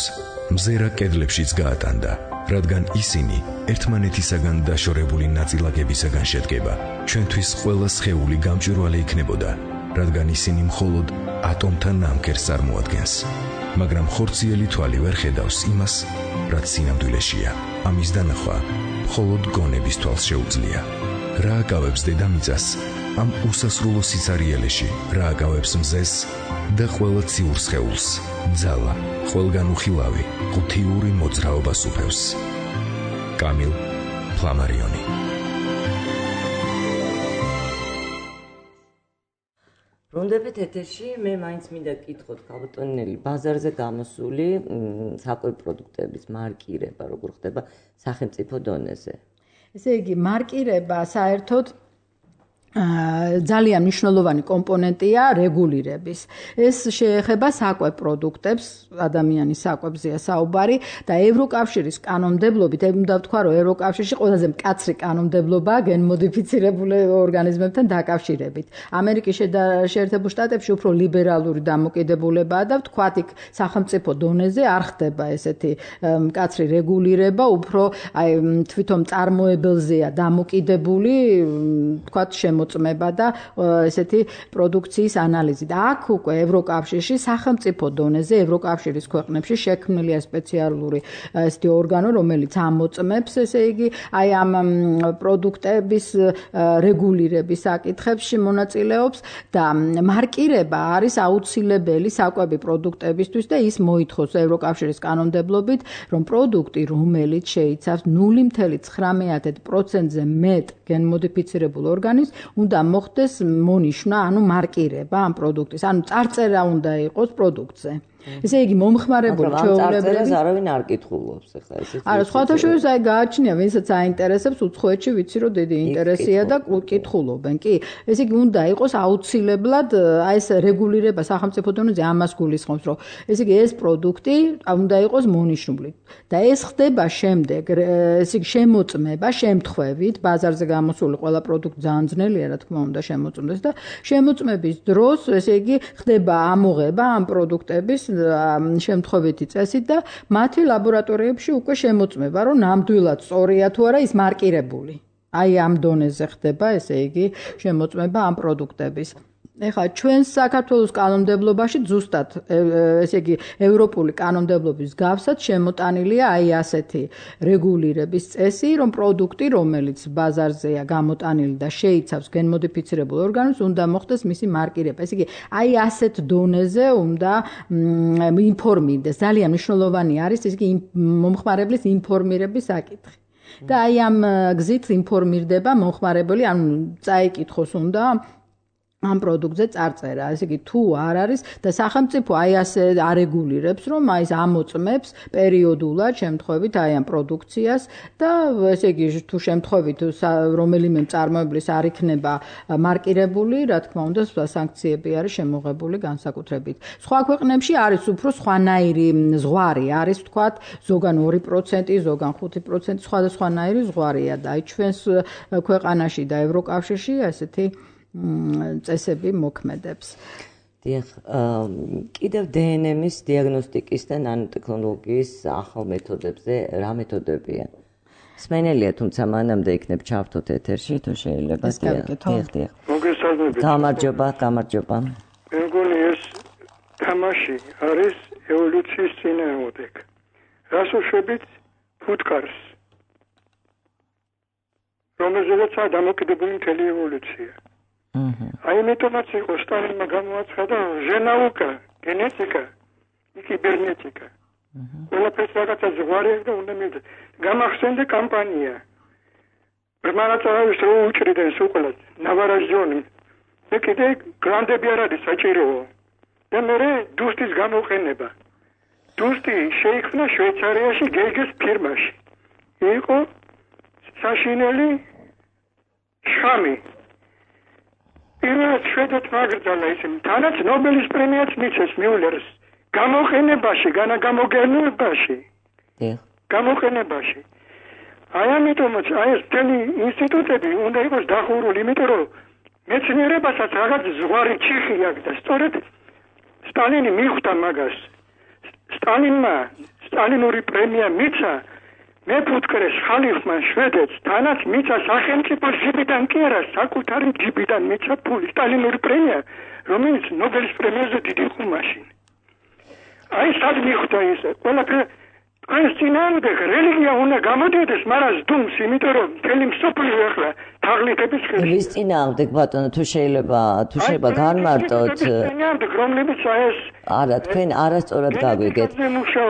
Speaker 1: მზერა კედლებშიც გაატანდა, რადგან ისინი ერთმანეთისაგან დაშორებული ნაწილაკებისაგან შედგება. ჩვენთვის ყველა სხეული გამჭვირვალე იქნებოდა, რადგან ისინი მხოლოდ ატომთან ნამქერს წარმოადგენს. მაგრამ ხორციელი თვალი ვერ ხედავს იმას, რაც სინამდვილეშია. ამის დანახვა მხოლოდ გონების თვალს შეუძლია. რა აკავებს დედამიწას ამ უსასრულო სიცარიელეში, რა აკავებს მზეს და ყველა ციურ სხეულს, ძალა, ყველგან უხილავი, ღთიური მოძრაობა სუფევს. კამილ ფლამარიონი.
Speaker 2: ბრუნდებით ეთერში, მე მაინც მინდა გკითხოთ ქალბატონელი, ბაზარზე გამოსული საკვები პროდუქტების მარკირება როგორ ხდება სახელმწიფო დონეზე?
Speaker 3: ესე იგი, მარკირება საერთოდ ძალიან მნიშვნელოვანი კომპონენტია რეგულირების. ეს შეეხება საკვებ პროდუქტებს, ადამიანის საკვებზეა საუბარი და ევროკავშირის კანონმდებლობით, უნდა ვთქვა, რომ ევროკავშირში ყველაზე მკაცრი კანონმდებლობაა გენმოდიფიცირებული ორგანიზმებთან დაკავშირებით. ამერიკის შეერთებულ შტატებში უფრო ლიბერალური დამოკიდებულებაა და ვთქვათ, იქ სახელმწიფო დონეზე არ ხდება ესეთი მკაცრი რეგულირება, უფრო თვითონ წარმოებელზეა დამოკიდებული, ვთქვათ, მოწმება და ესეთი პროდუქციის ანალიზი. და აქ უკვე ევროკავშირში სახელმწიფო დონეზე ევროკავშირის ქვეყნებში შექმნილია სპეციალური ესეთი ორგანო, რომელიც ამოწმებს, ესე იგი, აი ამ პროდუქტების რეგულირების საკითხებში მონაწილეობს და მარკირება არის აუცილებელი საკვები პროდუქტებისთვის და ის მოითხოვს ევროკავშირის კანონმდებლობით, რომ პროდუქტი, რომელიც შეიცავს 0.19%-ზე მეტ გენმოდიფიცირებულ ორგანიზმს, უნდა მოხდეს მონიშნა, ანუ მარკირება ამ პროდუქტის, ანუ წარწერა უნდა იყოს პროდუქტზე. ესე იგი მომხმარებელი ჩვეულებრივი
Speaker 2: არავინ არ კითხულობს ახლა ესეც.
Speaker 3: არა, სხვათა შორის აი გააჩნია, ვინცაც აინტერესებს, უცხოეთში ვიცი რომ დიდი ინტერესია და კითხულობენ. კი, ესე იგი უნდა იყოს აუცილებლად აი ეს რეგულირება სახელმწიფო დონეზე ამას გულისხმობს, რომ ესე იგი ეს პროდუქტი უნდა იყოს მონიშნული. და ეს ხდება შემდეგ, ესე იგი შემოწმება შემთხვევით, ბაზარზე გამოსული ყველა პროდუქტი ძალიან ძნელია, რა თქმა უნდა, შემოწმდეს და შემოწმების დროს, ესე იგი ხდება ამოღება ამ პროდუქტების შემთხვევითი წესით და მათი ლაბორატორიებში უკვე შემოწმება, რომ ნამდვილად სწორია თუ არა ის მარკირებული. აი ამ დონეზე ხდება, ესე იგი, შემოწმება ამ პროდუქტების. ეხლა ჩვენს საქართველოს კანონმდებლობაში ზუსტად ესე იგი ევროპული კანონმდებლობის გავსად შემოტანილია აი ასეთი რეგულირების წესი, რომ პროდუქტი, რომელიც ბაზარზეა გამოტანილი და შეიცავს გენმოდიფიცირებულ ორგანიზმს, უნდა მოხდეს მისი მარკირება. ესე იგი, აი ასეთ დონეზე უნდა ინფორმირდეს. ძალიან მნიშვნელოვანი არის ესე იგი მომხმარებლის ინფორმირების საკითხი. და აი ამ გზით ინფორმირდება მომხმარებელი, ანუ წაიკითხოს უნდა ამ პროდუქტზე წარწერა, ესე იგი თუ არ არის და სახელმწიფო აი ასე არეგულირებს, რომ აი ეს ამოწმებს პერიოდულად შემთხვევით აი ამ პროდუქციას და ესე იგი თუ შემთხვევით რომელიმე მწარმოებლის არ იქნება მარკირებული, რა თქმა უნდა, სანქციები არის შემოღებული განსაკუთრებით. სხვა ქვეყნებში არის უფრო სხვანაირი ზღვარი, არის ვთქვათ, ზოგან 2%, ზოგან 5%, სხვადასხვანაირი ზღვარია და აი ჩვენს ქვეყანაში და ევროკავშირში ესეთი წესები მოქმედებს.
Speaker 2: დიახ, კიდევ DNM-ის დიაგნოსტიკის და ნანოტექნოლოგიის ახალ მეთოდებზე რა მეთოდებია? სმენელია, თუმცა მანამდე იქნებ ჩავთოთ ეთერში, თუ შეიძლება.
Speaker 3: დიახ.
Speaker 4: მოგესალმებით.
Speaker 2: გამარჯობა.
Speaker 4: მე მგონი ეს თამაში არის ევოლუციის წინააღმდეგ. რას უშვებით ფუტკარს? რომელზეც დამოკიდებული მთელი ევოლუცია. აი მეტომაც იყო სტალინმა გამოაცხადა ჟენაუკა, გენეტიკა, კიბერნეტიკა. ყველაფერს რაღაცა ზღვარი აქვს და უნდა მივიდეს. გამახსენდა კამპანია. ბრმანაწარავის რო უჭრიდნენ სულ ნავარაჟონი. მე კიდე გრანდები არ არის საჭიროა. და მე დუსტის გამოყენება. დუსტი შეიქმნა შვეიცარიაში გეგეს ფირმაში. იყო საშინელი შამი. პირველად შვედეთმა აგრძალა ისე, თანაც ნობელის პრემიაც მიცეს მიულერს. გამოყენებაში, განაგამოგენებაში. გამოყენებაში. აი ამიტომაც აი ეს მთელი ინსტიტუტები უნდა იყოს დახურული, იმიტომ რომ მეცნიერებასაც რაღაც ზღვარი ჩიხი აქვს და სწორედ სტალინი მიხვდა მაგას. სტალინმა სტალინური პრემია მიცა მე ფუტკრეს ხალიფმა შვედეთს თანაც მიცა სახელმწიფო ჯიბიდან კი არა საკუთარი ჯიბიდან მიცა ფული სტალინური პრემია რომელიც ნობელის პრემიაზე დიდი იყო მაშინ აი სად მიხვდა ისე ყველაფერი თქვენს წინააღმდეგ რელიგია უნდა გამოდიოდეს მაგრამ ზდუმს იმიტომ რომ მთელი მსოფლიო ახლა თაღლითების ხელში
Speaker 2: ვის წინააღმდეგ ბატონო თუ შეიძლება განმარტოთ
Speaker 4: რომლებიც ეს
Speaker 2: არა თქვენ არასწორად გაგვიგეთ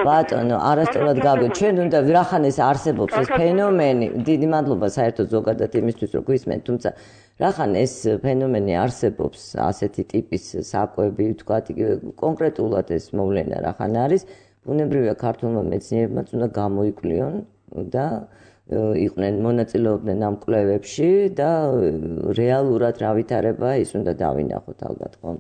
Speaker 2: ბატონო არასწორად გაგვიგეთ ჩვენ უნდა ვირახან ეს არსებობს ეს ფენომენი დიდი მადლობა საერთოდ ზოგადად იმისთვის რომ გვისმენთ თუმცა რახან ეს ფენომენი არსებობს ასეთი ტიპის საკვები ვთქვათ კონკრეტულად ეს მოვლენა რახან არის ბუნებრივია ქართულმა მეცნიერებმაც უნდა გამოიკვლიონ და იყვნენ მონაწილეობდნენ ამ კვლევებში და რეალურად რა ვითარება ის უნდა დავინახოთ ალბათ ხომ.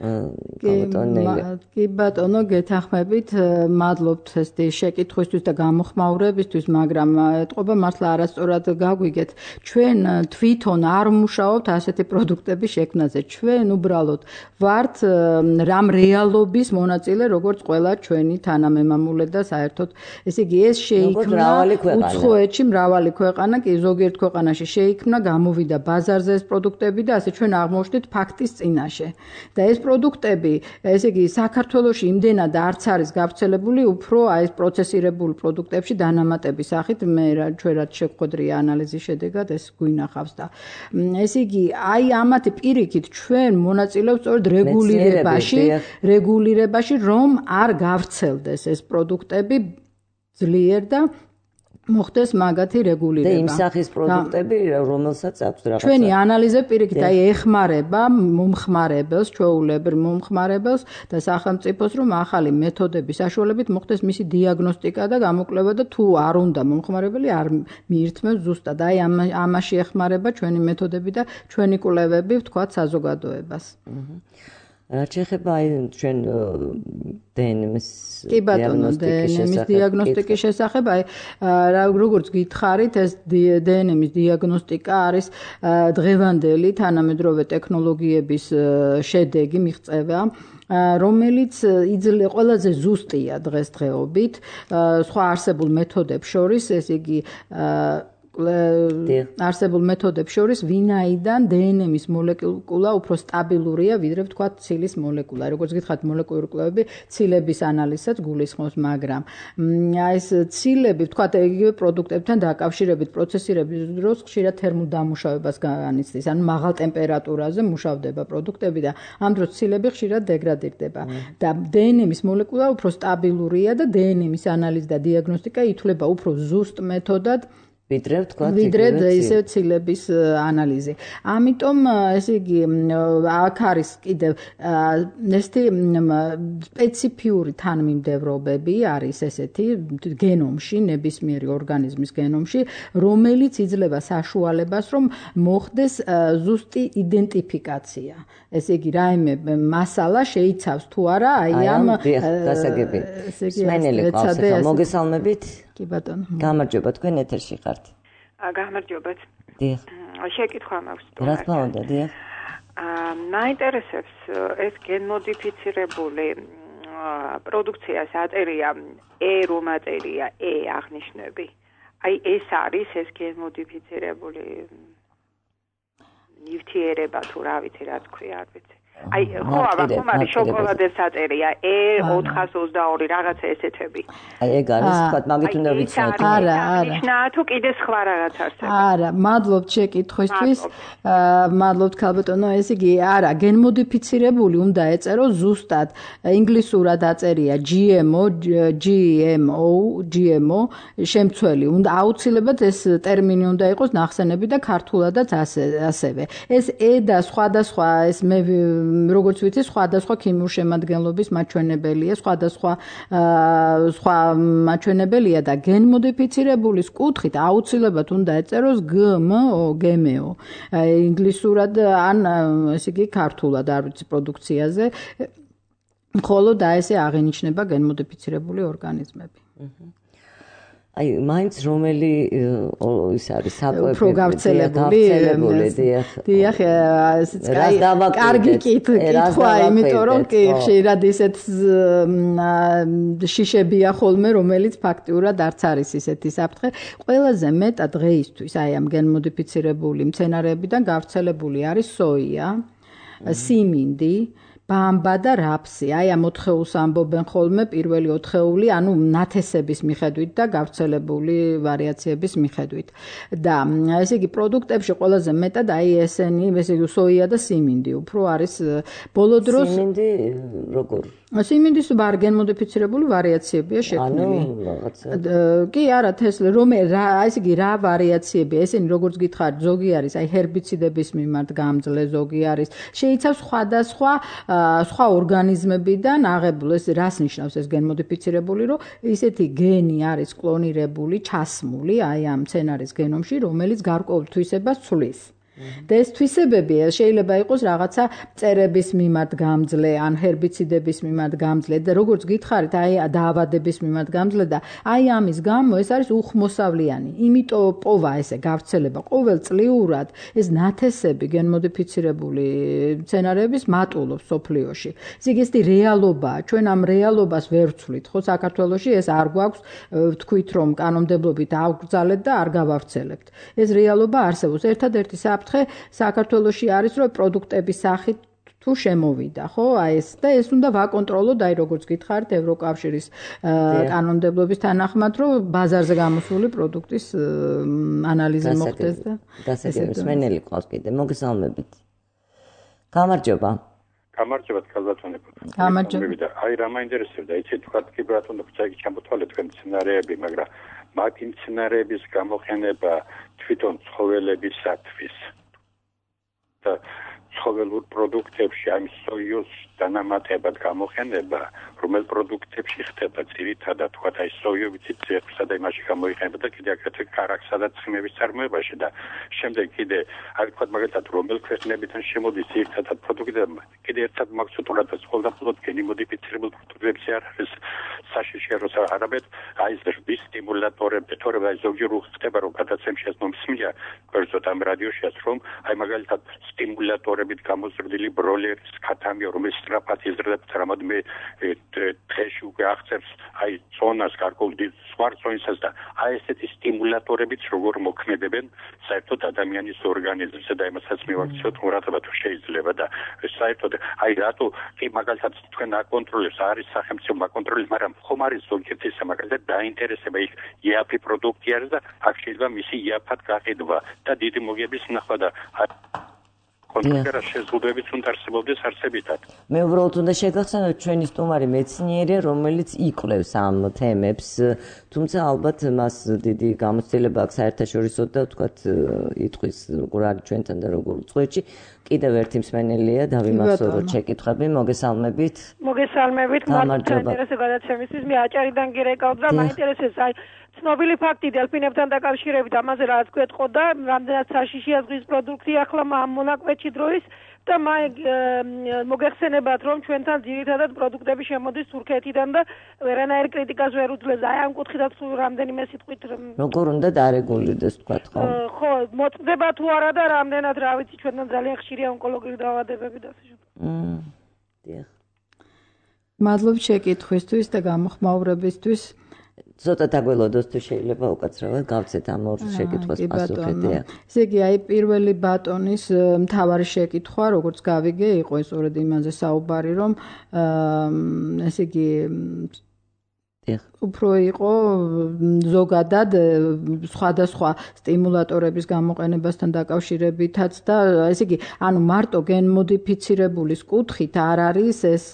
Speaker 3: კი ბატონო, გეთანხმებით, მადლობთ ესეთი შეკითხვისთვის და გამოხმაურებისთვის, მაგრამ ეთყობა მართლა არასწორად გაგვიგეთ. ჩვენ თვითონ არ ვმუშაობთ ასეთი პროდუქტების შექმნაზე. ჩვენ უბრალოდ ვართ რამ რეალობის მონაწილე, როგორც ყველა ჩვენი თანამემამულე და საერთოდ, ესე იგი, ეს შეიქმნა უცხოეთში მრავალი ქვეყანა, კი ზოგიერთ ქვეყანაში შეიქმნა, გამოვიდა ბაზარზე ეს პროდუქტები და ასე ჩვენ აღმოჩნდით ფაქტის წინაშე. და ეს პროდუქტები, ესე იგი, საქართველოში იმდენად არც არის გავრცელებული, უფრო აი ეს პროცესირებული პროდუქტებში დანამატების სახით, ჩვენ რაც შევხვედრია ანალიზის შედეგად, ეს გვინახავს და ესე იგი, აი ამათი პირიქით ჩვენ მონაწილეობთ სწორედ რეგულირებაში, რომ არ გავრცელდეს ეს პროდუქტები ძლიერ და მოხდეს მაგათი რეგულირება.
Speaker 2: და იმ სახის პროდუქტები, რომელსაც აქვს რაღაცა.
Speaker 3: ჩვენი ანალიზი პირიქით აი ეხმარება მომხმარებელს, ჩვეულებრივ მომხმარებელს და სახელმწიფოს, რომ ახალი მეთოდების საშუალებით მოხდეს მისი დიაგნოსტიკა და გამოკვლევა და თუ არ უნდა მომხმარებელი არ მიირთმევს ზუსტად. აი ამაში ეხმარება ჩვენი მეთოდები და ჩვენი კვლევები, ვთქვათ, საზოგადოებას.
Speaker 2: რაც შეეხება აი ჩვენ დნმ-ის
Speaker 3: დიაგნოსტიკის შესახებ, აი როგორც გითხარით, ეს დნმ-ის დიაგნოსტიკა არის დღევანდელი თანამედროვე ტექნოლოგიების შედეგი, მიღწევა, რომელიც ყველაზე ზუსტია დღესდღეობით სხვა არსებულ მეთოდებს შორის, ესე იგი არსებულ მეთოდებს შორის ვინაიდან დნმ-ის მოლეკულა უფრო სტაბილურია, ვიდრე ვთქვათ ცილის მოლეკულა. როგორც გითხარით, მოლეკულური კვლევები ცილების ანალიზსაც გულისხმობს, მაგრამ ეს ცილები, ვთქვათ, იგივე პროდუქტებთან დაკავშირებით პროცესირების დროს ხშირად თერმულ დამუშავებას განიცდის, ანუ მაღალ ტემპერატურაზე მუშავდება პროდუქტები და ამ დროს ცილები ხშირად დეგრადირდება. და დნმ-ის მოლეკულა უფრო სტაბილურია და დნმ-ის ანალიზი და დიაგნოსტიკა ითვლება უფრო ზუსტ მეთოდად ვიდრე ისე ცილების ანალიზი. ამიტომ ესე იგი აქ არის კიდევ ესეთი სპეციფიური თანმიმდევრობები არის ესეთი გენომში, ნებისმიერი ორგანიზმის გენომში, რომელიც იძლევა საშუალებას, რომ მოხდეს ზუსტი იდენტიფიკაცია. ესე იგი რაიმე მასალა შეიცავს თუ არა აი ამ
Speaker 2: დასაგები. სმენელი ყავს, მოგესალმებით.
Speaker 3: კი ბატონო.
Speaker 2: გამარჯობა, თქვენ ეთერში ხართ.
Speaker 5: გამარჯობათ.
Speaker 2: დიახ.
Speaker 5: შეკითხვა მაქვს.
Speaker 2: რა თქმა უნდა, დიახ.
Speaker 5: მაინტერესებს ეს გენმოდიფიცირებული პროდუქციას აწერია რომ აწერია აღნიშნები. აი ეს არის ეს გენმოდიფიცირებული ნივთიერება თუ რა ვიცი რა თქვია, არ ვიცი. აი ხო აბა შოკოლადეს აწერია 422 რაღაცა ესეთები.
Speaker 2: აი ეგ არის თქვათ მაგით უნდა ვიცნოთ.
Speaker 3: არა.
Speaker 5: ნიშნაა თუ კიდე სხვა რაღაც არსებობს.
Speaker 3: არა, მადლობთ შეკითხვისთვის. მადლობთ ქალბატონო, ესე იგი არა, გენმოდიფიცირებული უნდა ეწერო ზუსტად ინგლისურად აწერია GMO შემცველი. უნდა აუცილებლად ეს ტერმინი უნდა იყოს ნახსენები და ქართულადაც ასევე. ეს და სხვადასხვა ეს როგორც ვიცი, სხვადასხვა ქიმიურ შემადგენლობის მაჩვენებელია, სხვა მაჩვენებელია და გენმოდიფიცირებულის კუთხით აუცილებლად უნდა ეწეროს GMO. ინგლისურად ან ესე იგი ქართულად არ ვიცი პროდუქციაზე, მხოლოდ ესე აღენიშნება გენმოდიფიცირებული ორგანიზმები.
Speaker 2: აი მაინც რომელი ის არის საკვები
Speaker 3: უფრო გავრცელებული დიახ კარგი კითხვა, იმიტომ რომ კი ხშირად ისეთ შიშებია ხოლმე, რომელიც ფაქტიურად არც არის ისეთი საფრთხე. ყველაზე მეტად დღეისთვის აი ამ გენმოდიფიცირებული მცენარეებიდან გავრცელებული არის სოია, სიმინდი, ბამბა და რაფსი. აი ამ 4-ს ამბობენ ხოლმე, პირველი 4, ანუ ნათესების მიხედვით და გავრცელებული ვარიაციების მიხედვით. და ესე იგი პროდუქტებში ყველაზე მეტად აი ესენი, ესე იგი სოია და სიმინდი უფრო არის ბოლო დროს.
Speaker 2: სიმინდი როგორ?
Speaker 3: სიმინდის გენმოდიფიცირებული ვარიაციებია შექმნილი. კი არა, თესლი, ესე იგი რა ვარიაციებია, ესენი როგორც გითხარით, ზოგი არის აი ჰერბიციდების მიმართ გამძლე, ზოგი არის. შეიცავს სხვადასხვა სხვა ორგანიზმებიდან აღებული, ეს რას ნიშნავს ეს გენმოდიფიცირებული, რომ ისეთი გენი არის კლონირებული, ჩასმული აი ამ მცენარის გენომში, რომელიც გარკვეულ თვისებას ცვლის. და ეს თვისებები შეიძლება იყოს რაღაცა მწერების მიმართ გამძლე, ან ჰერბიციდების მიმართ გამძლე და როგორც გითხარით, აი დაავადების მიმართ გამძლე და აი ამის გამო ეს არის უხმოსავლიანი. იმიტომ პოვა ესე გავრცელება ყოველწლიურად ეს ნათესები გენმოდიფიცირებული მცენარეების მატულობს სოფლიოში. ეს რეალობაა. ჩვენ ამ რეალობას ვერ ვცვლით, ხო, საქართველოში ეს არ გვაქვს ვთქვით, რომ კანონმდებლობით ავგრძალეთ და არ გავავრცელებთ. ეს რეალობა არსებობს. ერთადერთი საქართველოში არის, რომ პროდუქტების სახით თუ შემოვიდა, ხო? აი ეს და ეს უნდა ვაკონტროლოთ, აი როგორც გითხარით, ევროკავშირის კანონმდებლობის თანახმად, რომ ბაზარზე გამოსული პროდუქტის ანალიზი მოხდეს და
Speaker 2: დასაგებებს მენელი ყავს კიდე. მოგესალმებით. გამარჯობა.
Speaker 6: გამარჯობათ, ქალბატონებო.
Speaker 3: გამარჯობა.
Speaker 6: აი რა მაინტერესებდა, იცით, თქვა კი ბატონო, წაიგი ჩამოთვალეთ თქვენ მცენარეები, მაგრამ მათ იმ მცენარეების გამოყენება თვითონ ცხოველებისათვის და ცხოველურ პროდუქტებში ამ სოიოს დანამატებად გამოყენება, რომელ პროდუქტებში ხდება ძირითადად თქვა აი სოიოვიცი ძერბსა და იმაში გამოიყენება და კიდე აგრეთვე კარაქსა და ცხიმების წარმოებაში და შემდეგ კიდე აი თქვა მაგალითად რომელ ქვეყნებიდან შემოდის ძირითადად პროდუქტი და კიდე ერთად მაქსუტურად და ყოველდღიურად გენიმოდიფიცირებულ პროდუქტებში არ არის საშიში როცა არაბეთ აი ეს რის სტიმულატორები თორემ აი ზოგჯერ ხდება რომ გადაცემში ეს მომსმენია გვერდზე ამ რადიოშიაც რომ აი მაგალითად სტიმულატორებით გამოზრდილი ბროლერის ქათამია რომელიც სწრაფად იზრდება რამოდენიმე დღეში უკვე აღწევს აი ზონას გარკვეულ სხვა ზონისას და აი ესეთი სტიმულატორებიც როგორ მოქმედებენ საერთოდ ადამიანის ორგანიზმზე და იმასაც მივაქციოთ ყურადღება თუ შეიძლება და საერთოდ აი რატო კი მაგალითად თქვენ აკონტროლებს არის სახელმწიფო აკონტროლებს მაგრამ ხომ არის ზოგიერთი მაგალითად დაინტერესება იქ იაფი პროდუქტი არის და აქ შეიძლება მისი იაფად გაყიდვა და დიდი მოგების ნახვა და კონკრეტულად შეზღუდვებით უნდა არსებობდეს არსებითად.
Speaker 2: მე უბრალოდ უნდა შეგახსენოთ ჩვენი სტუმარი მეცნიერია, რომელიც იკვლევს ამ თემებს, თუმცა ალბათ მას დიდი გამოცდილება აქვს საერთაშორისო და ვთქვათ იტყვის როგორ არის ჩვენთან და როგორ უწყოეთში. კიდევ ერთი მსმენელია, დავიმახსოვროთ შეკითხვები, მოგესალმებით.
Speaker 5: მოგესალმებით, მაინტერესებს გადაცემისთვის, მე აჭარიდან გირეკავთ და მაინტერესებს აი ცნობილი ფაქტი დელფინებთან დაკავშირებით ამაზე რაც გვეტყო და რამდენად საშიშია ზღვის პროდუქტი ახლა ამ მონაკვეთში დროის და მოგეხსენებათ რომ ჩვენთან ძირითადად პროდუქტები შემოდის თურქეთიდან და ვერანაირ კრიტიკას ვერ უძლებს აი ამ კუთხითაც რამდენიმე სიტყვით
Speaker 2: როგორ უნდა დარეგულირდეს თქვათ ხო
Speaker 5: ხო მოწდება თუ არა და რამდენად რა ვიცი ჩვენთან ძალიან ხშირია ონკოლოგიური დაავადებები და ასე შემდეგ
Speaker 2: დიახ
Speaker 3: მადლობთ შეკითხვისთვის და გამოხმაურებისთვის
Speaker 2: ცოტა დაგველოდოს თუ შეიძლება უკაცრავად გავცეთ ამ ორ შეკითხვას პასუხები.
Speaker 3: ესე იგი, აი პირველი ბატონის მთავარი შეკითხვა, როგორც გავიგე, იყო ეს სწორედ იმაზე საუბარი, რომ ესე იგი უფრო იყო ზოგადად სხვადასხვა სტიმულატორების გამოყენებასთან დაკავშირებითაც და ესე იგი, ანუ მარტო გენმოდიფიცირებულის კუთხით არ არის ეს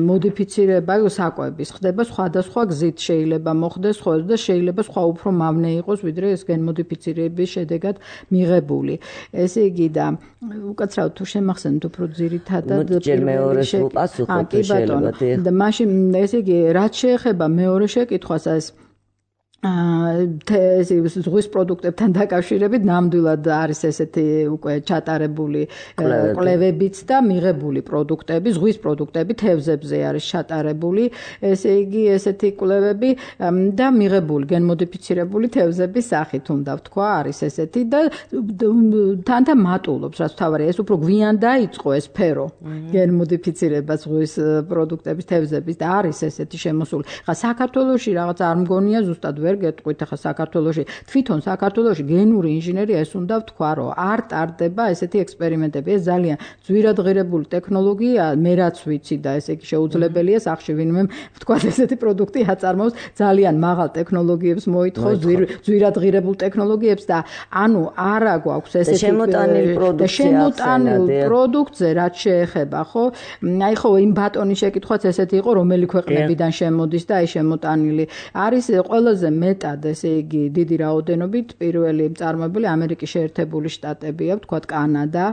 Speaker 3: მოდიფიცირება საკვების, ხდება სხვადასხვა გზით შეიძლება მოხდეს და შეიძლება სხვა უფრო მავნე იყოს, ვიდრე ეს გენმოდიფიცირების შედეგად მიღებული. ესე იგი და უკაცრავად თუ შემახსენოთ უფრო ძირითადად
Speaker 2: ჯერ მეორეს უპასუხოთ შეიძლება
Speaker 3: და მაშინ ესე იგი რაც შეეხება მეორე შეკითხვას ეს ზღვის პროდუქტებთან დაკავშირებით ნამდვილად არის ესეთი უკვე ჩატარებული კვლევებიც და მიღებული პროდუქტები, ზღვის პროდუქტები თევზებზე არის ჩატარებული, ესე იგი ესეთი კვლევები და მიღებული გენმოდიფიცირებული თევზების სახით უნდა ვთქვა არის ესეთი და თანთან მატულობს, რაც თავარია, ეს უფრო გვიან დაიწყო ეს სფერო გენმოდიფიცირება ზღვის პროდუქტების თევზების და არის ესეთი შემოსული. ხა საქართველოში რაღაც არ მგონია ზუსტად ვერ ვერ გეტყვით ახლა საქართველოში თვითონ საქართველოში გენური ინჟინერია ეს უნდა ვთქვა რომ არ ტარდება ესეთი ექსპერიმენტები ეს ძალიან ძვირადღირებული ტექნოლოგია მე რაც ვიცი და ესე იგი შეუძლებელია სახში ვინმე ვთქვა ესეთი პროდუქტი აწარმოოს ძალიან მაღალ ტექნოლოგიებს მოითხოვს ძვირადღირებულ ტექნოლოგიებს და ანუ არა გვაქვს ესეთი შემოტანილ პროდუქტზე რაც შეეხება ხო აი ხო იმ ბატონის შეკითხვაც ესეთი იყო რომელი ქვეყნებიდან შემოდის და აი შემოტანილი არის ყველაზე მეტად ესე იგი დიდი რაოდენობით პირველი მწარმოებელი ამერიკის შეერთებული შტატებია ვთქვათ კანადა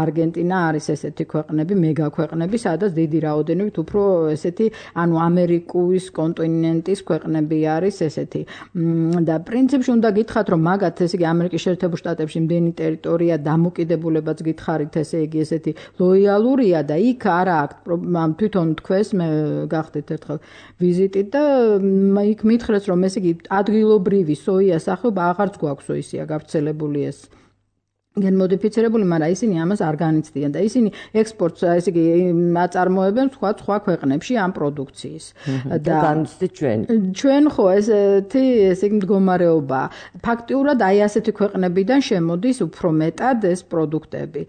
Speaker 3: არგენტინა არის ესეთი ქვეყნები მეგა ქვეყნები სადაც დიდი რაოდენობით უფრო ესეთი ანუ ამერიკის კონტინენტის ქვეყნები არის ესეთი და პრინციპში უნდა გითხრათ რომ მაგათ ესე იგი ამერიკის შეერთებულ შტატებში იმდენი ტერიტორია დამოკიდებულებაც გითხარით ესე იგი ესეთი ლოიალურია და იქ არა აქვს თვითონ თქვეს მე გახდით ერთხელ ვიზიტით და იქ მითხრეს რომ ესე იგი ადგილობრივი სოიას სახეობა აღარც გვაქვს ისია გავრცელებული ეს გენმოდიფიცირებული, მაგრამ ისინი ამას არ განიცდიან და ისინი ექსპორტს ესე იგი აწარმოებენ სხვა ქვეყნებში ამ პროდუქციის
Speaker 2: და განიცდით
Speaker 3: ჩვენ ხო ესეთი ესე იგი მდგომარეობა ფაქტიურად აი ასეთი ქვეყნებიდან შემოდის უფრო მეტად ეს პროდუქტები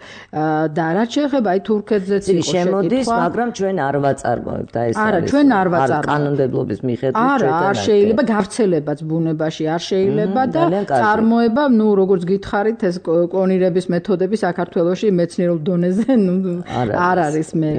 Speaker 3: და რაც შეეხება აი თურქეთზეც იყო
Speaker 2: შემოდის მაგრამ ჩვენ არ ვაწარმოებთ და ეს
Speaker 3: არა ჩვენ არ ვაწარმოებთ
Speaker 2: კანონმდებლობის მიხედვით
Speaker 3: არა არ შეიძლება გავრცელებაც ბუნებაში არ შეიძლება და წარმოება ნუ როგორც გითხარით ეს კონირების მეთოდები საქართველოში მეცნიერულ დონეზე არ არის მე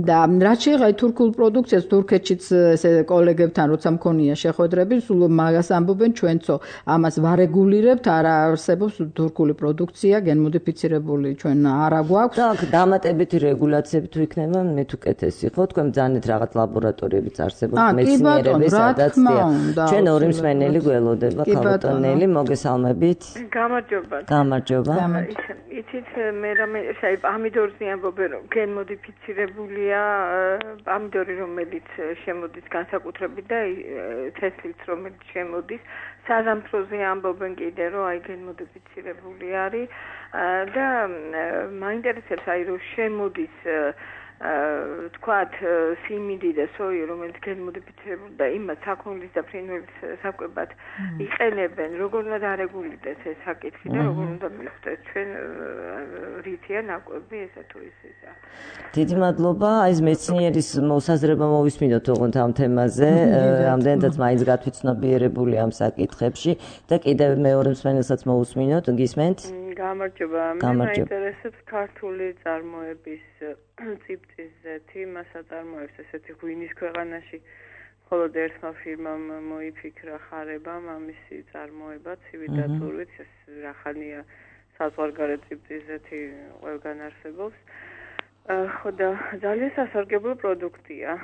Speaker 3: და რაც შეეხება თურქულ პროდუქციას თურქეთშიც ესე კოლეგებთან როცა მქონია შეხვედრები სულ მაგას ამბობენ ჩვენцо ამას ვარეგულირებთ არ არსებობს თურქული პროდუქცია გენმოდიფიცირებული ჩვენ არა გვაქვს
Speaker 2: და დამატებითი რეგულაციები თუ იქნება მე თუ კეთესი ხო თქვენ ბძანეთ რაღაც ლაბორატორიებიც არსებობს მეცნიერების სადაც ჩვენ ორი მსმენელი გველოდება ქალბატონელი მოგესალმებით გამარჯობა
Speaker 5: იცით მე რამე აი პამიდორზე ამბობენ რომ გენმოდიფიცირებულია პამიდორი რომელიც შემოდის განსაკუთრებით და თესლით რომელიც შემოდის საზამთროზე ამბობენ კიდე რომ აი გენმოდიფიცირებული არის და მაინტერესებს აი რომ შემოდის თქვათ სიმინდი და სოია რომელიც გენმოდიფიცირებული და იმას საქონლის და ფრინველის საკვებად იყენებენ როგორ უნდა დარეგულირდეს ეს საკითხი და როგორ უნდა მივხვდეთ ჩვენ რითია ნაკვები ესა თუ ისეა
Speaker 2: დიდი მადლობა აი ეს მეცნიერის მოსაზრება მოვისმინოთ ოღონდ ამ თემაზე რამდენადაც მაინც გათვითცნობიერებული ამ საკითხებში და კიდევ მეორე მსმენელსაც მოვუსმინოთ გისმენთ
Speaker 5: გამარჯობა მე მაინტერესებს ქართული წარმოების ციფრიზეთი მას აწარმოებს ესეთი ღვინის ქვეყანაში მხოლოდ ერთმა ფირმამ მოიფიქრა ხარებამ ამისი წარმოება ცივი და წურვით ეს რახანია საზღვარგარეთ ციფრიზეთი ყველგან არსებობს ხო და ძალიან სასარგებლო პროდუქტია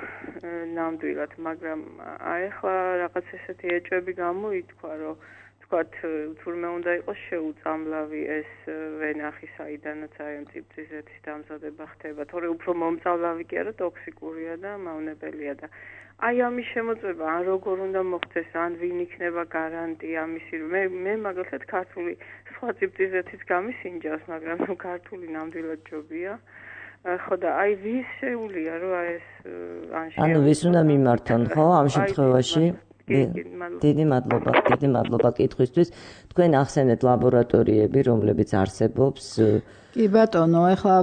Speaker 5: ნამდვილად მაგრამ აი ახლა რაღაც ესეთი ეჭვები გამოითქვა რომ თქვათ თურმე უნდა იყოს შეუწამლავი ეს ვენახი საიდანაც აი ამ ციფრიზეთის დამზადება ხდება თორე უფრო მომწავლავი კი არა ტოქსიკურია და მავნებელია და აი ამის შემოწმება ან როგორ უნდა მოხდეს ან ვინ იქნება გარანტი ამისი მე მაგალითად ქართული სხვა ციფრიზეთის გამისინჯავს მაგრამ ქართული ნამდვილად ჯობია ხო და აი ვის შეუძლია რომ აი ეს
Speaker 2: ანუ ვის უნდა მიმართონ ხო ამ შემთხვევაში დიდი მადლობა კითხვისთვის თქვენ ახსენეთ ლაბორატორიები რომლებიც არსებობს
Speaker 3: კი ბატონო, ეხლა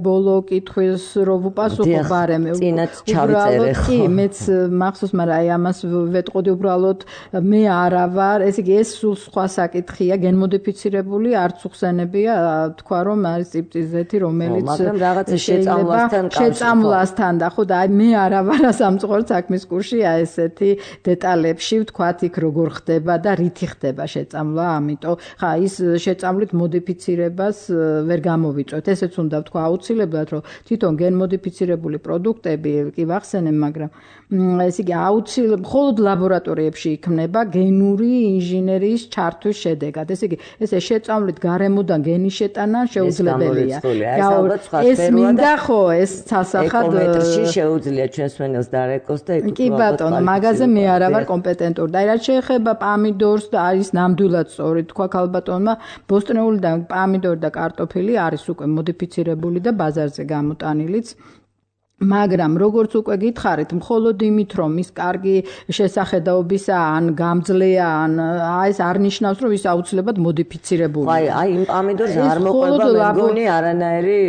Speaker 3: ბოლო კითხვის რო ვუპასუხო ბარემ.
Speaker 2: წინაც ჩავიწერე ხო.
Speaker 3: კი, მეც მახსოვს, მაგრამ აი ამას ვეტყოდი უბრალოდ მე არა ვარ, ესე იგი ეს სულ სხვა საკითხია, გენმოდიფიცირებული არც უხსენებია, თქვა რომ არის ციფრიზეთი, რომელიც
Speaker 2: მაგრამ რაღაცა
Speaker 3: შეწამლასთან და ხო და აი მე არა ვარ სამწუხაროდ საქმის კურსში აი ესეთი დეტალებში ვთქვათ იქ როგორ ხდება და რითი ხდება შეწამლა, ამიტომ ხა ის შეწამლით მოდიფიცირებას ვერ გამოვიწვევთ. ესეც უნდა ვთქვა აუცილებლად, რომ თვითონ გენმოდიფიცირებული პროდუქტები კი ვახსენებ, მაგრამ ესე იგი აუცილებლად მხოლოდ ლაბორატორიებში იქმნება გენური ინჟინერიის ჩართვის შედეგად. ესე იგი ესე შეწამლით გარემოდან გენის შეტანა შეუძლებელია. ეს მინდა ხო ეს სასახად
Speaker 2: ეკომეტრში შეუძლია ჩვენს მენელს დარეკოს და ეკუთვნოდეთ.
Speaker 3: კი ბატონო, მაგაზე მე არა ვარ კომპეტენტური. და რაც შეეხება პამიდორს და არის ნამდვილად სწორი თქვა ქალბატონმა, ბოსტნეულიდან პამიდორი და კარტოფილი არის უკვე მოდიფიცირებული და ბაზარზე გამოტანილიც. მაგრამ როგორც უკვე გითხარით, მხოლოდ იმით, რომ ის კარგი შესახედაობისა ან გამძლეა, ან ეს არ ნიშნავს, რომ ის აუცილებლად მოდიფიცირებულია.
Speaker 2: აი, იმ პამიდორს არ მოყვება მე მგონი არანაირი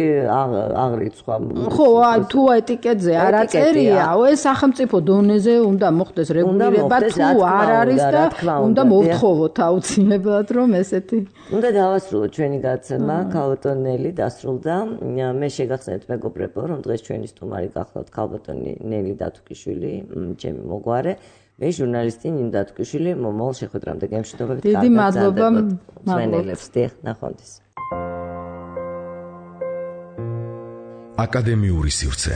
Speaker 2: აღრიცხვა.
Speaker 3: ხო, თუ ეტიკეტზე არ აწერია, ეს სახელმწიფო დონეზე უნდა მოხდეს რეგულირება, თუ არ არის და უნდა მოვთხოვოთ აუცილებლად, რომ ესეთი.
Speaker 2: უნდა დავასრულოთ ჩვენი გაცემა, ქალბატონელი დასრულდა. მე შეგახსენეთ მეგობრებო, რომ დღეს ჩვენი სტუმარი გახლავთ ქალბატონი ნელი დათუკიშვილი, ჩემი მოგვარე. მე ჟურნალისტი ნინო დათუკიშვილი, მომავალ შეხვედრამდე გემშვიდობებით.
Speaker 3: დიდი მადლობა
Speaker 2: მსმენელებს. ნახვამდის.
Speaker 1: აკადემიური სივრცე.